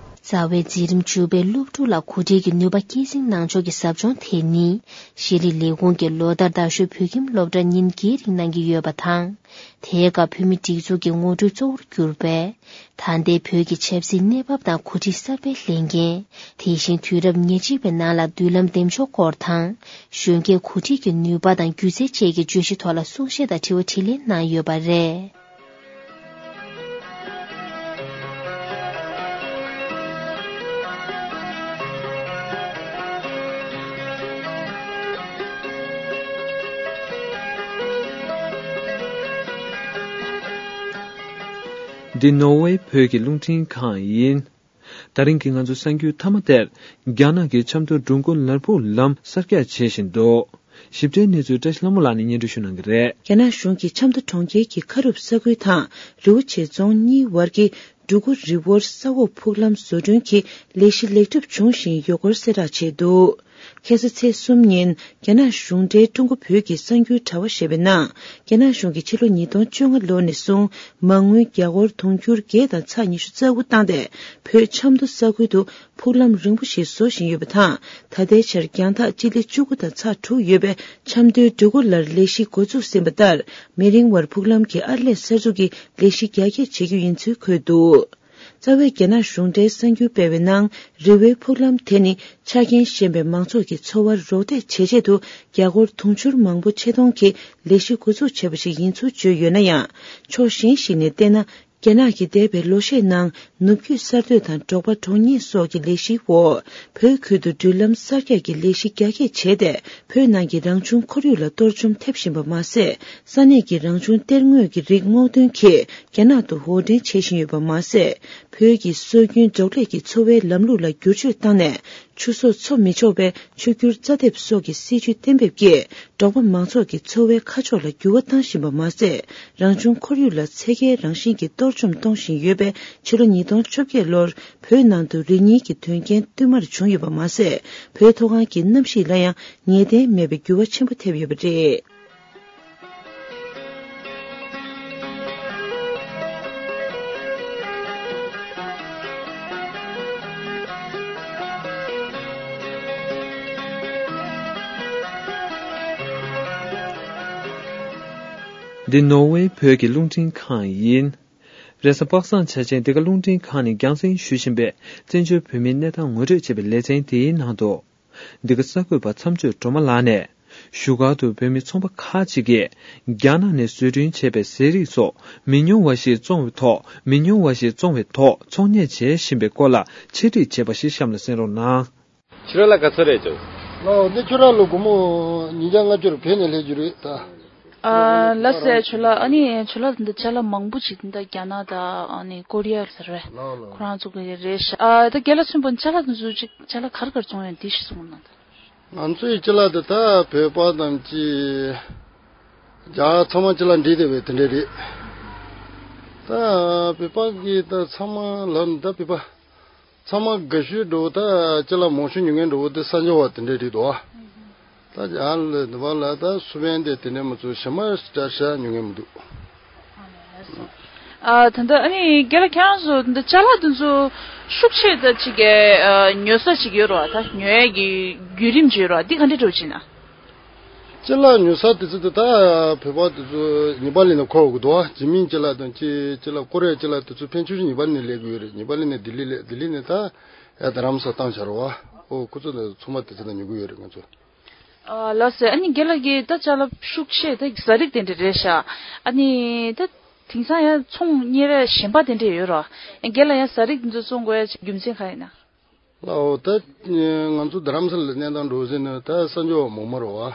རྩ་བའི་འཛིན་རིམ་བཅུ་པའི་སློབ་ཕྲུག་ལ་གོ་སྒྲིག་གི་ནུས་པ་སྐྱེད་སྲིང་གནང་ཕྱོགས་ཀྱི་ཟབ་སྦྱོང་དེ་ནི་ཤེས་རིག་ལས་ཁུངས་ཀྱིས་ལོ་ལྟར་རྡ་ཤོད་བོད་ཁྱིམ་སློབ་གྲྭར་ཉིན་བརྒྱད་རིང་གནང་གི་ཡོད་པ་དང་། དེའི་སྐབས་བོད་མིའི་སྒྲིག་འཛུགས་ཀྱི་ངོ་སྤྲོད་གཙོ་བོར་གྱུར་པའི་ད་ལྟའི་བོད་ཀྱི་ཆབ་སྲིད་གནས་བབ་དང་གོ་སྒྲིག་གསར་པའི་ལས་འགན། དེ་བཞིན་དུས་རབས་ཉེར་གཅིག་པའི་ནང་ལ་མདུན་ལམ་འདེམས་ཕྱོགས་སྐོར་དང་། གཞོན་སྐྱེས་གོ་སྒྲིག་གི་ནུས་པ་དང་སྒྱུ་རྩལ་བཅས་ཀྱི་བརྗོད་གཞི་ཐོག་ལ་གསུང་བཤད་དང་དྲི་བ་དྲིས་ལན་གནང་ཡོད་པ་རེད། འདི་ནོར་ཝེ་བོད་ཀྱི་རླུང་འཕྲིན་ཁང་ཡིན། ད་རིང་གི་ང་ཚོའི་གསར་འགྱུར་མཐའ་མ་དེར། རྒྱ་ནག་གི་ཆབ་མདོ་འགྲོ་མགོན་ལ་ཕུག་ལམ་གསར་རྒྱག་བྱེད་བཞིན་འདུག། ཞིབ་ཕྲའི་གནས་ཚུལ་བཀྲ་ཤིས་ལྷ་མོ་ལགས་ནས་སྙན་སྒྲོན་ཞུ་གནང་གི་རེད། རྒྱ་ནག་གཞུང་གིས་ཆབ་མདོ་གྲོང་ཁྱེར་གྱི་ཁ་རུབ་ས་ཁུལ་དང་རི་བོ་ཆེ་རྫོང་གཉིས་བར་གྱི་འབྲུ་གུ་རི་བོར་ས་འོག་ཕུག་ལམ་བཟོ་སྐྲུན་གྱི་ལས་གཞི་ལེགས་གྲུབ་བྱུང་ཞིང་ཡོད་སྐོར་གསལ་བསྒྲགས་བྱས་འདུག། ཁ་སང་ཚེས་གསུམ་ཉིན་རྒྱ་ནག་གཞུང་འབྲེལ་ཀྲུང་གོ་བོད་ཀྱི་གསར་འགྱུར་དྲ་བ་ཞེས་པའི་ནང་། རྒྱ་ནག་གཞུང་གིས་ཕྱི་ལོ་ཉིས་སྟོང་བཅོ་ལྔ་ལོ་ནས་བཟུང་མ་དངུལ་རྒྱ་སྒོར་དུང་ཕྱུར་བརྒྱད་དང་ཚེག་ཉི་ཤུ་རྩ་དགུ་བཏང་སྟེ་བོད་ཆབ་མདོ་ས་ཁུལ་དུ་ཕུག་ལམ་རིང་པོ་ཞིག་བཟོ་བཞིན་ཡོད་པ་དང་། ད་ལྟའི་ཆར་རྒྱང་ཐག་སྤྱི་ལེ་བཅུ་དགུ་དང་ཚེག་དྲུག་ཡོད་པའི་ཆབ་མདོའི་འབྲུ་གུ་ལར་ལས་གཞི་འགོ་འཛུགས་ཟིན་པ་ལྟར། མི་རིང་བར་ཕུག་ལམ་གྱི་ཨར་ལས་གསར་འཛུགས་ཀྱི་ལས་གཞི་རྒྱ་སྐྱེད་བྱེད་རྒྱུ་ཡིན་ཚུལ་འཁོད་འདུག། རྩ་བའི་རྒྱ་ནག་གཞུང་འབྲེལ་གསར་འགྱུར་སྤེལ་བའི་ནང་། རི་བོའི་ཕུག་ལམ་དེ་ནི་ཆ་རྐྱེན་ཞན་པའི་མང་ཚོགས་ཀྱི་འཚོ་བར་རོགས་འདེགས་བྱེད་ཆེད་དུ་རྒྱ་སྒོར་དུང་ཕྱུར་མང་པོ་ཆེད་གཏོང་གིས་ལས་གཞི་འགོ་འཛུགས་བྱས་པ་ཞིག་ཡིན་ཚུལ་བརྗོད་ཡོད་ན་ཡང་། ཕྱོགས་གཞན་ཞིག་ནས་བལྟས་ན། རྒྱ་ནག་གིས་འདས་པའི་ལོ་ཤས་ནང་ནུབ་རྒྱུད་གསར་གཏོད་དང་འབྲོག་པ་གྲོང་གཉེར་སོགས་ཀྱི་ལས་གཞིའི་འོག་བོད་ཁུལ་དུ་འགྲུལ་ལམ་གསར་རྒྱག་གི་ལས་གཞི་རྒྱ་སྐྱེད་བྱས་ཏེ། བོད་ནང་གི་རང་བྱུང་ཁོར་ཡུག་ལ་གཏོར་བཅོམ་ཐེབས་བཞིན་པ་མ་ཟད། ས་གནས་ཀྱི་རང་བྱུང་གཏེར་དངོས་ཀྱི་རིགས་སྔོག་འདོན་གྱིས་རྒྱ་ནག་ཏུ་དབོར་འདྲེན་བྱེད་བཞིན་ཡོད་པ་མ་ཟད། བོད་ཀྱི་སྲོལ་རྒྱུན་འབྲོག་ལས་ཀྱི་འཚོ་བའི་ལམ་ལུགས་ལ་བསྒྱུར་བཅོས་བཏང་ནས། ཆུ་གསོག་འཚོ་མི་ཆོག་པའི་ཆུ་སྒྱུར་རྩ་འདེབས་སོགས་ཀྱི་སྲིད་ཇུས་གཏན་འབེབས་ཀྱིས། འབྲོག་པ་མང་ཚོགས་ཀྱི་འཚོ་བའི་ཁ་ཕྱོགས་ལ་འགྱུར་བ་བཏང་བཞིན་པ་མ་ཟད། རང་བྱུང་ཁོར་ཡུག་ལ་ཚད་བརྒལ་རང་བཞིན་གྱི་གཏོར་བཅོམ་གཏོང་བཞིན་ཡོད་པས། ཕྱི་ལོ་ཉིས་སྟོང་བཅོ་བརྒྱད་ལོར་བོད་ནང་དུ་རི་ཉིལ་གྱི་དོན་རྐྱེན་བསྟུད་མར་བྱུང་ཡོད་པ་མ་ཟད། བོད་མཐོ་སྒང་གི་གནམ་གཤིས་ལ་ཡང་ངེས་གཏན་མེད་པའི་འགྱུར་བ་ཆེན་པོ་ཐེབས་ཡོད་པ་རེད། འདི་ནོར་ཝེ་བོད་ཀྱི་རླུང་འཕྲིན་ཁང་ཡིན། རེས་གཟའ་པ་སངས་འཆར་ཅན་འདི་ག་རླུང་འཕྲིན་ཁང་ནས་རྒྱང་སྲིང་ཞུ་བཞིན་པའི་བཙན་བྱོལ་བོད་མིའི་གནས་སྟངས་ངོ་སྤྲོད་བྱེད་པའི་ལེ་ཚན་དེའི་ནང་དུ། འདི་ག་གསར་འགོད་པ་མཚམས་གཅོད་སྒྲོལ་མ་ལགས་ནས། བཞུགས་སྒར་དུ་བོད་མི་ཚོང་པ་ཁག་ཅིག་གིས་རྒྱ་ནག་ནས་བཟོ་སྐྲུན་བྱས་པའི་ཟས་རིགས་སོགས་མི་ཉུང་བ་ཞིག་བཙོང་བའི་ཐོག་མི་ཉུང་བ་ཞིག་བཙོང་བའི་ཐོག་ཚོང་གཉེར་བྱེད་བཞིན་པའི་སྐོར་ལ་འཆད་ཁྲིད་བྱས་པ་ཞིག་གཤམ་ལ་གསན་རོགས་གནང་། ཁྱོད་རང་ལ་ག་ཚོད་རེད་ཅོ། ལགས་འདི་ཁྱོད་རང་ལོ་སྒོར་མོ་ཉིས་བརྒྱ་ལྔ་བཅུ་རེ་བོད་ནས་སླེབས་རྒྱུ་རེད་ད། ཨ་ལགས་སེ་ཁྱོད་ལ་ཨ་ནི་ཁྱོད་ལ་འདི་ཅ་ལག་མང་པོ་ཅིག་འདི་ད་རྒྱ་ནག་དང་ཨ་ནི་ཀོ་རི་ཡ་ཟེར་རེད། ལགས་ལགས། ཁོ་རང་ཚོ་གི་རེད་ཤག་ཨ་ད་རྒན་ལགས་མཚོན་པ་ཅ་ལག་འདི་ཚོ་ཅིག་ཅ་ལག་ག་རེ་ག་རེ་བཙོང་ཡོད་འདི་ཞིག་གསུངས་གནང་ད། ང་ཚོ་ཡི་ཅ་ལག་འདི་ད་བོད་པ་ཙམ་ཅིག་རྒྱ་ཚང་མ་ཅ་ལག་འདྲེས་བསྡད་པའི་དེ་འདྲས་རེད། ད་བོད་པ་གི་ད་ཚང་མ་ལབ་ན་ད་བོད་པ། ཚང་མ་དགའ་ཤོས་འགྲོ་བོ་ད་ཅི་ལ་མང་ཤོས་ཉོ་མཁན་འགྲོ་བོ་དེ་གསར་འབྱོར་བ་དེ་འདྲས་རེད་དོ། ད་ཡང་ལ་དུ་བ་ལ་ད་སུ་བན་དེ་དེ་འདྲས་མ་ཚོ་ཞེ་མ་ཞེ་དྲག་ཞེ་དྲག་ཉོ་མཁན་མི་འདུག། ཨ་ད་ལྟ་ཨ་ནི་རྒན་ལགས་ཁྱེད་རང་ཚོ་ད་ཅ་ལག་དེ་ཚོ་ཤུགས་ཆེ་ད་ཅིག་གི་ཉོ་ས་ཅིག་ཡོད་རོ། ད་ཉོ་ཡས་ཀྱི་བརྒྱུད་རིམ་ཅིག་ཡོད་རོ། འདི་ག་འདྲས་འགྲོ་ཅིག་ན། ཅ་ལག་ཉོ་ས་དེ་ཚོ་དེ་ད་བོད་པ་དེ་ཚོ་ཉི་པ་ལི་ནས་འཁོར་འོང་གི་འདུག་ཨ། ཇི་མིན་ཅ་ལག་དང་ཅི་ཅ་ལག་ཀོ་རེ་ཡ་ཅ་ལག་དེ་ཚོ་ཕན་ཆད་ཉི་པ་ལི་ནས་སླེབས་ཀྱི་ཡོད་རེད། ཉི་པ་ལི་ནས་ལྡི་ལི་སླེབས། ལྡི་ལི་ནས་ད་ཡ་རྡ་རམ་ས་བཏང་བཞག་རོགས་ཨ། ཨོ་ཁོ་ཚོ་ཚང་མ་དེ་ཚོ་ནས་ཉོ་གི་ཡོད་རེད་ང་ཚོ། ཨ་ལགས་སེ། ཨ་ནི་རྒན་ལགས་ཀྱིས་ད་ཅ་ལག་ཤུགས་ཆེ་ད་ཟ་རིགས་དེ་འདྲ་རེད་ཤག་ཨ་ནི་ད་དེང་སང་ཡང་ཚོང་གཉེར་གཞན་པ་དེ་འདྲ་ཡོད་རོ། རྒན་ལགས་ཡང་ཟ་རིགས་དེ་ཚོ་བཙོང་དགོས་ཡ་རྒྱུ་མཚན་ག་ཡིན་ན། ལའོ་ད་ང་ཚོ་རྡ་རམ་ས་ལ་གནས་སྟངས་འགྲོ་ཟིན་ནས་ད་གསར་འབྱོར་བ་མང་མོ་རེད་བ།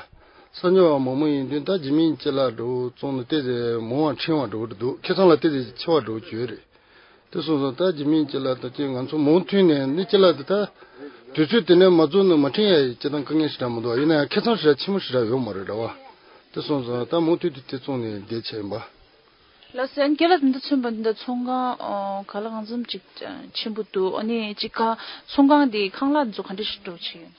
གསར་འབྱོར་བ་མང་མོ་ཡིན་དུས་ད་ཇི་མིན་ཅི་ལ་འགྲོ་བཙོང་ནས་ཏོག་ཙམ་མང་བ་ཕྲེང་བ་འགྲོ་གི་འདུག་ཁེ་ཚང་ལ་ཏོག་ཙམ་ཆེ་བ་འགྲོ་གི་ཡོད་རེད། དེ་སོང་ཙང་ད་ཇི་མིན་ཅི་ལ་ད་ཅི་ང་ཚོ་མུ་མཐུད་ནས་ནི་ཅི་ལ་ད་ད་དུས་ཚོད་དེ་ནས་མ་བཙོང་ན་མ་ཕྲེང་ཡ་ཡི་ཅི་དང་དཀའ་ངལ་ཞེ་དྲག་མི་འདུག་ཡིན་ན་ཡང་ཁེ་ཚང་ཞེ་དྲག་ཆེན་མོ་ཞེ་དྲག་ཡོད་མ་རེད་བ། དེ་སོང་ཙང་ད་མུ་མཐུད་དུ་དེ་བཙོང་ནས་བསྡད་བྱས་ཡིན་པ། ལགས་སེ། ཨ་ནི་རྒན་ལགས་འདི་འདྲ་མཚོན་པ་འདི་འདྲ་ཚོང་ཁང་ཨོ་ག་ལ་གང་འཚམ་ཅིག་ཆེན་པོ་འདུག་ཨ་ནི་ཅིག་ཁང་ཚོང་ཁང་འདི་ཁང་གླ་འདི་ཚོ་ག་འདྲ་ཞིག་འགྲོ་བྱེད་ཡོད་ན།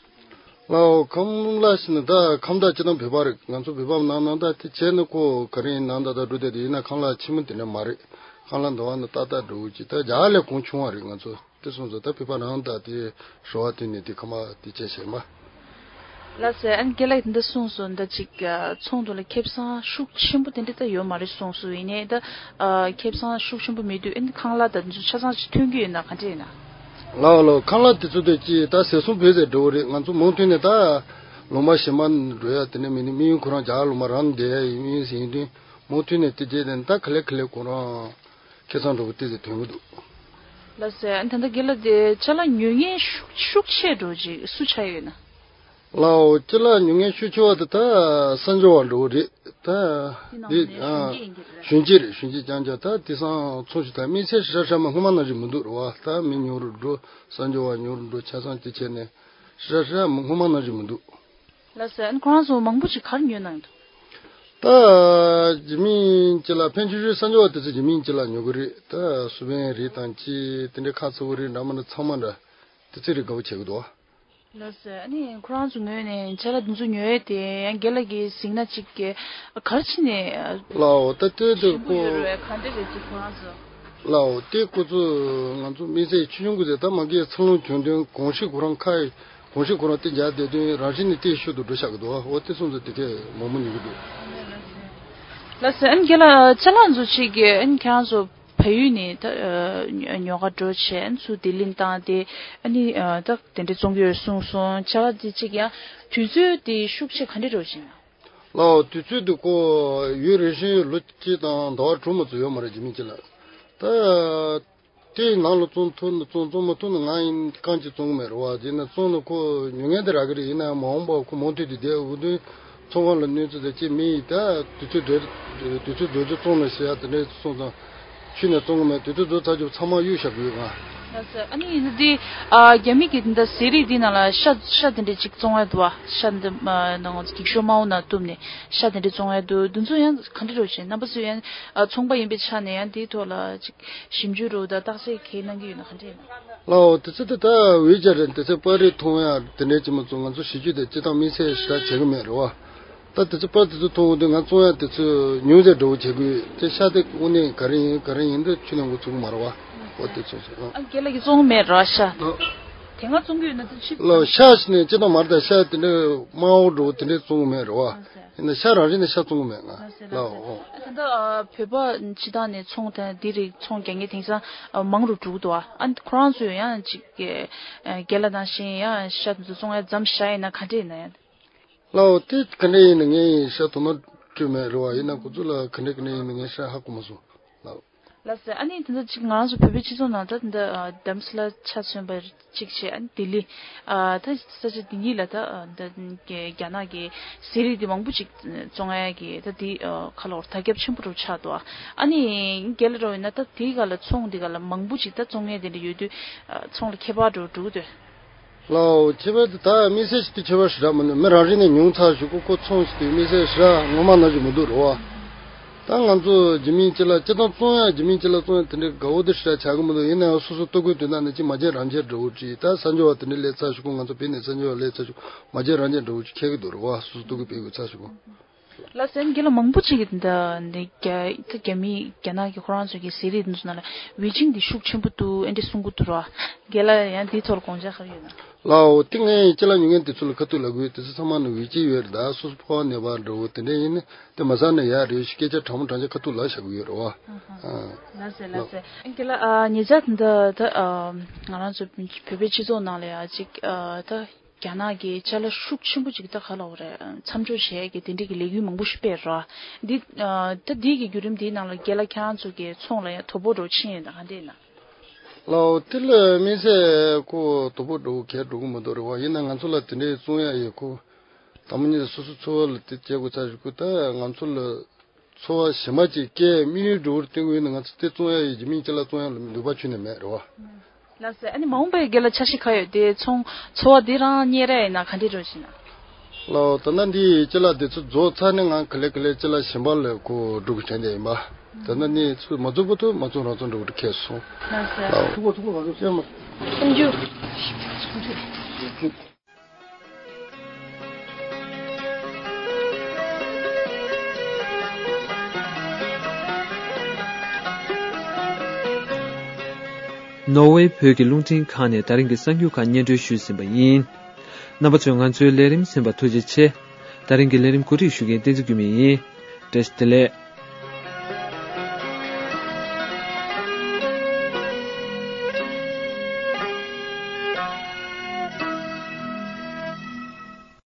ལའོ་ཁང་གླ་ཞིག་ནི་ད་ཁང་བདག་སྤྱི་བཏང་བོད་པ་རེད། ང་ཚོ་བོད་པ་ནང་ནང་ད་དེ་བྱས་ནི་ཁོ་ག་རེ་ཡིན་ནང་ད་ད་འགྲོ་བསྡད་དེ་ཡིན་ན་ཁང་གླ་ཆེན་མོ་དེ་འདྲ་མ་རེད། ཁང་གླ་འདི་བ་ནི་ཏག་ཏག་འགྲོ་གི་ད་རྒྱ་ལས་གོང་ཆུང་བ་རེད་ང་ཚོ། དེ་སོང་ཙང་ད་བོད་པ་རང་ད་དེ་ཞོ་བ་དེ་ནས་དེ་ཁ་མ་དེ་བྱས་བྱས་མ། ལགས་སེ། ཨ་ནི་རྒན་ལགས་འདི་གསུངས་སོང་། འདི་ཅིག་ཚོང་དུ་ལ་ཁེ་བཟང་ཤུགས་ཆེན་པོ་དེ་འདྲ་ད་ཡོད་མ་རེད་གསུངས་སོང་། ཡིན་ནའི་ད་ཁེ་བཟང་ཤུགས་ཆེན་པོ་མེད་དུས་ཨ་ནི་ཁང་གླ་དང་འདི་ཚོ་ཆ་ཚང་ཅིག་ཐོན་གྱི་ཡོད་ན་ག་འདྲ་ཡིན་ན། ལགས་ལགས། ཁང་གླ་དེ་ཚོ་དེ་ཅི་ད་ཟས་སོང་བོད་ཟས་འགྲོ་བ་རེད། ང་ཚོ་མུ་མཐུད་ནས་ད་ལོ་མ་གཞན་མ་འགྲོ་ཡ་དེ་ནས་མི་ནི་དམིགས་ཡུལ་ཁོ་རང་རྒྱ་གར་ལོ་མ་རང་བསྡད་ཡ་ཡིན་ཡིན་ཟིན་དུས་མུ་མཐུད་ནས་དེ་རྗེས་དེ་ད་ག་ལེ་ག་ལེ་ཁོ་རང་ཁེ་བཟང་འགྲོ་བ་དེ་ཚོ་ཐོན་གི་འདུག་ལགས་སེ། ཨ་ནི་ད་ལྟ་རྒན་ལགས་དེ་ཅ་ལག་ཉོ་མཁན་ཤུགས་ཤུགས་ཆེ་འགྲོ་ཅིག་སུ་ཆགས་ཡོད་ན། ལགས་འོ། ཅ་ལག་ཉོ་མཁན་ཤུགས་ཆེ་བ་དེ་ད་གསར་འབྱོར་བ་འགྲོ་གི་རེད་ད། དེ་ནང་འདི་ནས་ཨ་གཞོན་སྐྱེས་ཡིན་གྱི་རེད། གཞོན་སྐྱེས་རྐྱང་རྐྱང་ད་དེང་སང་ཚོང་ཞིག་ད་དམིགས་བསལ་ཧྲ་ཧྲ་མ་སྔོན་མ་ནང་བཞིན་མི་འདུག་རེད་བ། ད་མི་ཉུང་རུ་འགྲོ། གསར་འབྱོར་བ་ཉུང་རུ་འགྲོ། ཆ་ཚང་དེ་བྱས་ནས་ཧྲ་ཧྲ་མ་སྔོན་མ་ནང་བཞིན་མི་འདུག་ལགས་སེ། ཨ་ནི་ཁོ་རང་ཚོ་མང་པོ་ཅིག་ག་རེ་ཉོས་གནང་འདུག་ད་རྒྱུ་མིན་ཅ་ལག་ཕན་ཆུང་ཆུང་གསར་འབྱོར་བ་དེ་ཚོ་རྒྱུ་མིན་ཅ་ལག་ཉོ་གི་རེད། ད་སུ་བན་རིགས་དང་ཅི་དེ་འདྲའི་ཁ་ཚ་བོ་རིགས་འདྲ་མི་འདྲ་ཚང་མ་འདྲ་དེ་ཚོ་རིགས་དགའ་བོ་བྱེད་ཀྱི་འདུག་ལགས་སེ། ཨ་ནི་ཁོ་རང་ཚོ་ངོས་ནས་ཅ་ལག་འདི་ཚོ་ཉོ་ཡས་དེ་ཡང་རྒན་ལགས་ཀྱིས་གཟིགས་ན་ཅིག་ག་རེ་བྱས་ནས། ལགས་འོ། ད་ལྟོས་དེ་ཞིམ་པོ་ཡོད་རེད། ག་འདྲ་རེད་ཅིག་ཁོ་རང་ཚོ། ལགས་འོ། དེ་ཁོ་ཚོ་ང་ཚོ་དམིགས་བསལ་ཆུང་ཆུང་གི་ཟེར་ད་མ་གིའི་འཚར་ལོངས་བྱུང་དོན་གོམས་གཤིས་ཁོ་རང་ཁ་ཡི་གོམས་གཤིས་ཁོ་རང་དེ་འཇགས་བསྡད་དོན་རང་བཞིན་ནས་དེའི་ཤུལ་དུ་འགྲོ་བཞག་གི་འདུག་འོ་དེ་སོང་ཙང་དེ་གས་མང་པོ་ཉོ་གི་འདུག་ལགས་སེ། ཨ་ནི་རྒན་ལགས་ཅ་ལག་ཚོ་ཅིག་གི་ཨ་ནི་ཁྱེད་རང་ཚོ་བལ་ཡུལ་ནས་ད་ཉོ་ག་འགྲོ་བྱས། ཨ་ནི་ཚུར་ལྡི་ལི་བཏང་སྟེ་ཨ་ནི་ད་དེ་འདྲ་བཙོང་གི་ཡོད་གསུངས་སོང་། ཅ་ལག་དེ་ཅིག་ཡང་དུས་ཚོད་དེ་ཤུགས་ཆེ་ག་འདྲ་འགྲོ་བཞིན་ན། ལགས་འོ། དུས་ཚོད་འདི་ཁོ་ཡུན་རིང་ཤོས་ལོ་གཅིག་དང་ཟླ་བ་དྲུག་མ་ཚོ་ཡོད་མ་རེད། རྒྱུ་མིན་ཅ་ལག་ད་དེའི་ནང་ལ་བཙོང་ཐུབ་ན་བཙོང་བཙོང་མ་ཐུབ་ན་ང་ཡིན་རྐང་གཅིག་བཙོང་གི་མེད་རེད་བ། དེ་ན་བཙོང་ན་ཁོ་ཉོ་མཁན་དེ་རག་གི་རེད། ཡིན་ན་ཡང་མ་འོངས་པ་ཁོ་མུ་མཐུད་དེ་བསྡད་འོ་དུས་ཚོང་ཁང་ལ་གནོད་འཚེ་དང་ཅི་མི་ཡིན། ད་དུས་ཚོད་འགྲོ་དུས་ཚོད་འགྲོ་དུས་བཙོང་ན་ཟེར་ཡ་དེ་འདྲ་སོང་ཙང་ཁྱོན་ནས་བཙོང་གི་མེད། དུས་ཚོད་འགྲོ་ཚར་རྒྱུ་ཚང་མ་གཡུག་བཞག་གི་ཡོད་ང་། ལགས་སོ། ཨ་ནི་འདི་ཨ་རྒྱ་མི་གི་འདི་ཟས་རིགས་འདི་ནང་ལ་ཤ་ཤ་དེ་འདྲ་ཅིག་བཙོང་ཡ་འདུག་བ། ཤ་འདི་ཨ་ནང་འགྱིག་ཤོག་དམར་པོ་ནང་བཏུམས་ནས་ཤ་དེ་འདྲ་བཙོང་ཡ་འདུག་འདི་ཚོ་ཡང་ག་འདྲ་རོ་བྱེད། རྣམ་པ་ཚོས་ཡང་ཨ་ཚོང་པ་ཡིན་པའི་ཆ་ནས་ཡང་འདིའི་ཐོག་ལ་ཅིག་ཞིབ་འཇུག་རོ་ད་བརྟག་དཔྱད་གང་གནང་གི་ཡོད་ན་ག་འདྲ་ཡིན་ན། ལགས་འོ། དེ་ཚོ་དེ་ད་འོས་སྦྱར་རེད། དེ་ཚོ་པར་རིས་མཐོང་ཡ་དེ་འདྲ་ཅིག་མ་གཏོགས་ང་ཚོ་ཞིབ་འཇུག་དེ་སྤྱིར་བཏང་དམིགས་བསལ་ཞེ་དྲག་བྱེད་གི་མེད་རེད་བ། ད་དེ་ཚོ་པར་དེ་ཚོ་མཐོང་འོང་དུས་ང་བཙོང་ཡ་དེ་ཚོ་ཉུང་ཙམ་འགྲོ་བྱེད་དགོས། དེ་ཤ་དེ་དངོས་གནས་ག་རེ་ཡིན་ག་རེ་ཡིན་འདི་ཁྱོན་ནས་འགོ་ཚུགས་གི་མ་རེད་བ། འོ་དེ་ཚོ་ཚོ་ཨ། ཨ་རྒན་ལགས་ཀྱིས་བཙོང་གི་མེད་རེད་བ་ཤ། ལགས། དེ་སྔ་བཙོང་གི་ཡོད་ན་དེ་ཕྱིར། ལགས་ཤ་ཞིག་ནས་སྤྱིར་བཏང་མ་རེད། ད་ཤ་དེ་འདྲ་དམར་པོ་འགྲོ་དེ་འདྲ་བཙོང་གི་མེད་རེད་བ། ལགས་སོ། ཡིན་ན་ཤ་རང་བཞིན་ནས་ཤ་བཙོང་གི་མེད་ང་། ལགས་སོ། ལགས་ལགས་སོ། འོ། ཨ་ད་ལྟ་ཨ་བོད་པ་སྤྱིར་བཏང་ནས་ཚོང་དང་འདི་རིགས་ཚོང་རྒྱག་མཁན་དེང་སང་ཨ་མང་རུ་འགྲོ་གི་འདུག་བ། ཨ་ཁོ་རང་ཚོས་ཡང་ཅིག་གི་ཨ་རྒན་ལགས་ནང་བཞིན་ཡང་ཤ་དེ་ཚོ་བཙོང་ཡ་མཚམས་བཞག་ཡིན་ན་ག་འདྲ་ཡིན་ན་ཡང་། ལགས་འོ། དེ་ག་འདྲ་ཡིན་ན་ངས་ཤ་དོ་སྣང་སྤྲོད་མེད་རེད་བ། ཡིན་ན་ཁོ་ཚོ་ལ་ག་འདྲ་ག་འདྲ་ཡིན་ན་ངས་ཤ་ཧ་གོ་མ་སོང་། ལགས། ལགས་སེ། ཨ་ནི་དེ་འདྲ་ཅིག་ང་རང་ཚོ་བོད་པའི་སྤྱི་ཚོགས་ནང་ད་དེ་འདྲ་ཨ་དྷ་རམ་ས་ལ་ཆ་མཚོན་པ་ཅིག་བྱས། ཨ་ནི་ལྡི་ལི་ཨ་ད་ས་ཆ་འདི་གཉིས་ལ་ད་ཨ་ད་རྒྱ་ནག་གི་ཟས་རིགས་འདི་མང་པོ་ཅིག་བཙོང་ཡ་གི་ད་འདི་ཨ་ཁ་ལོ་དར་ཁྱབ་ཆེན་པོ་རུ་ཆགས་འདུག་ཨ་ནི་རྒན་ལགས་འདྲ་བོ་ཡིན་ན་ད་དེའི་སྒང་ལ་ཚོང་འདི་སྒང་ལ་མང་པོ་ཅིག་ད་བཙོང་མཁན་དེ་འདྲ་ཡོད་དུས་ཨ་ཚོང་ལ་ཁྱད་པར་འདྲ་བོ་འགྲོ་གི་འདུག་ལགས་འོ། ཁྱད་པར་དེ་ད་དམིགས་བསལ་ཞིག་ཏུ་ཁྱད་པར་ཞེ་དྲག་མི་འདུག་མི་རང་བཞིན་ནས་ཉུང་ཚགས་ཞིག་གོ་ཁོ་ཚོང་ཞིག་དེ་དམིགས་བསལ་ཞེ་དྲག་ངོ་མ་ནང་བཞིན་མི་འདུག་རེད་བ། ད་ང་ཚོ་རྒྱུ་མིན་ཅི་ལ་སྤྱིར་བཏང་བཙོང་ཡ་རྒྱུ་མིན་ཅི་ལ་བཙོང་ཡ་དེ་འདྲའི་དགའ་བོ་དེ་ཞེ་དྲག་བྱ་གི་མི་འདུག་ཡིན་ན་ཡང་སོ་སོ་ལྟོ་གོས་དོན་དག་ནི་ཅི་མ་བྱས་རང་བྱས་འདྲ་བོ་ཅིག་ད་གསར་འབྱོར་བ་དེ་འདྲའི་ལས་ཚ་ཞིག་གོ་ང་ཚོ་བོད་ནས་གསར་འབྱོར་བ་ལས་ཚ་ཞིག་མ་བྱས་རང་བྱས་འདྲ་བོ་ཅིག་ཁེལ་གི་འདུག་རེད་བ། སོ་སོ་ལྟོ་གོས་སྤྲད་དགོས་ཚ་ཞིག་གོ་ལགས་སོ། རྒན་ལགས་མང་པོ་ཅིག་གིས་འདི་འདི་རྒྱ་ད་རྒྱ་མི་རྒྱ་ནག་གི་ཁོ་རང་ཚོ་གི་ཟས་རིགས་འདི་ཚོ་ནང་ལ་ཝེ་ཅིང་འདི་ཤུགས་ཆེན་པོ་འདུག་ཨེ་འདྲ་གསུང་གི་འདུག་ར། རྒན་ལགས་ཡང་འདིའི་ཐོག་ལ་དགོངས་འཆར་ག་རེ་ཡོད་ན། ལགས་འོ། དེ་ངས་ཅ་ལག་ཉོ་མཁན་དེ་ཚོ་ལ་ཁ་ཐུག་ལབ་དགོས། དེ་ཚོ་ཚང་མ་ནི་ཝེ་ཅིང་ཡོད་རེད། ད་སོ་སོ་ཕོ་བ་ནད་པ་འདྲ་བོ་དེ་འདྲ་ཡིན་ན་དེ་མ་ཟ་ན་ཡག་རེད་ཞེས་སྐད་ཆ་དྲང་མོ་དྲང་ཆ་ཁ་ཐུག་ལབ་བཞག་གི་ཡོད་རེད་བ། ཨ་ཧ། ཨ། ལགས་སེ་ལགས་སེ། རྒན་ལགས་ཨ་ཉེ་ཆར་འདི་ད་ཨ་ང་རང་ཚོ་བོད་པའི་སྤྱི་ཚོགས་ནང་ལ་ཡ་ཅིག་ཨ་ད། རྒྱ་ནག་གིས་ཅ་ལག་ཤུགས་ཆེན་པོ་ཅིག་ད་ག་ལབ་དགོས་རེད། མཚམས་འཇོག་བྱས་ཀྱི་དེ་འདྲས་ཀྱི་ལས་འགུལ་མང་པོ་ཞིག་སྤེལ་ར། འདི་ཨ་ད་འདི་གི་བརྒྱུད་རིམ་འདིའི་ནང་ལ་རྒན་ལགས་ཁྱེད་རང་ཚོ་གི་ཚོང་ལ་ཡང་དོ་ཕོག་འདྲ་བོ་ཕྱིན་ཡོད་ན་ག་འདྲས་ན། ལགས་འོ། དེ་ལ་དམིགས་བསལ་ཁོ་དོ་ཕོག་འདྲ་བོ་གས་འགྲོ་གི་མི་འདུག་རེད་བ། ཡིན་ན་ང་ཚོ་ལ་དེ་འདྲས་བཙོང་ཡ་ཡོད་ཁོ། དང་པོ་ཉིད་སོ་སོ་འཚོ་བ་ལ་དེ་བྱེད་དགོས་ཚར་ཞིག་ཁོ་ད་ང་ཚོ་ལ། འཚོ་བ་ཞིམ་པ་ཅིག་སྐྱེལ་དམིགས་ཡུལ་འགྲོ་བར་བསྟན་དགོས་ཡིན་ན་ང་ཚོ་དེ་བཙོང་ཡ་ཡི་རྒྱུ་མིན་ཅི་ལ་བཙོང་ཡ་ལ་ནུས་པ་ཁྱོན་ནས་མེད་རེད་བ། ལགས་སེ། ཨ་ནི་མ་འོངས་པའི་རྒན་ལགས་འཆར་གཞི་ག་ཡོད་དེ་ཚོང་འཚོ་བ་འདི་རང་གཉེར་ཡ་ཡིན་ན་ག་འདྲས་འགྲོ་བཞིན་ན། ལགས་འོ། ད་ལྟ་འདི་ཅི་ལ་དེ་ཚོ་རྫོགས་ཚར་ནས་ང་ག་ལེ་ག་ལེ་ཅི་ལ་ཞིམ་པ་ལ་གོ་འགྲོ་གི་དྲན་བསྡད་ཡིན་པ། ད་ལྟ་ནི་ཚོ་མ་རྫོགས་བར་དུ་མ་རྫོགས་རང་རྫོགས་འགྲོ་གི་ཁེལ་སོང་། ལགས་སེ། ལགས་འོ། ཐུག་པ་ཐུག་པ་ང་ཚོ་སེམས་མ། སེམས་རྒྱུད། ནོར་ཝེ་བོད་ཀྱི་རླུང་འཕྲིན་ཁང་ནས་ད་རིང་གི་གསར་འགྱུར་ཁག་སྙན་སྒྲོན་ཞུས་ཟིན་པ་ཡིན། རྣམ་པ་ཚོས་ང་ཚོའི་ལས་རིམ་གསན་པར་ཐུགས་རྗེ་ཆེ། ད་རིང་གི་ལས་རིམ་གོ་སྒྲིག་ཞུ་མཁན་བསྟན་འཛིན་ཀུན་མེད་ཡིན། བཀྲ་ཤིས་བདེ་ལེགས།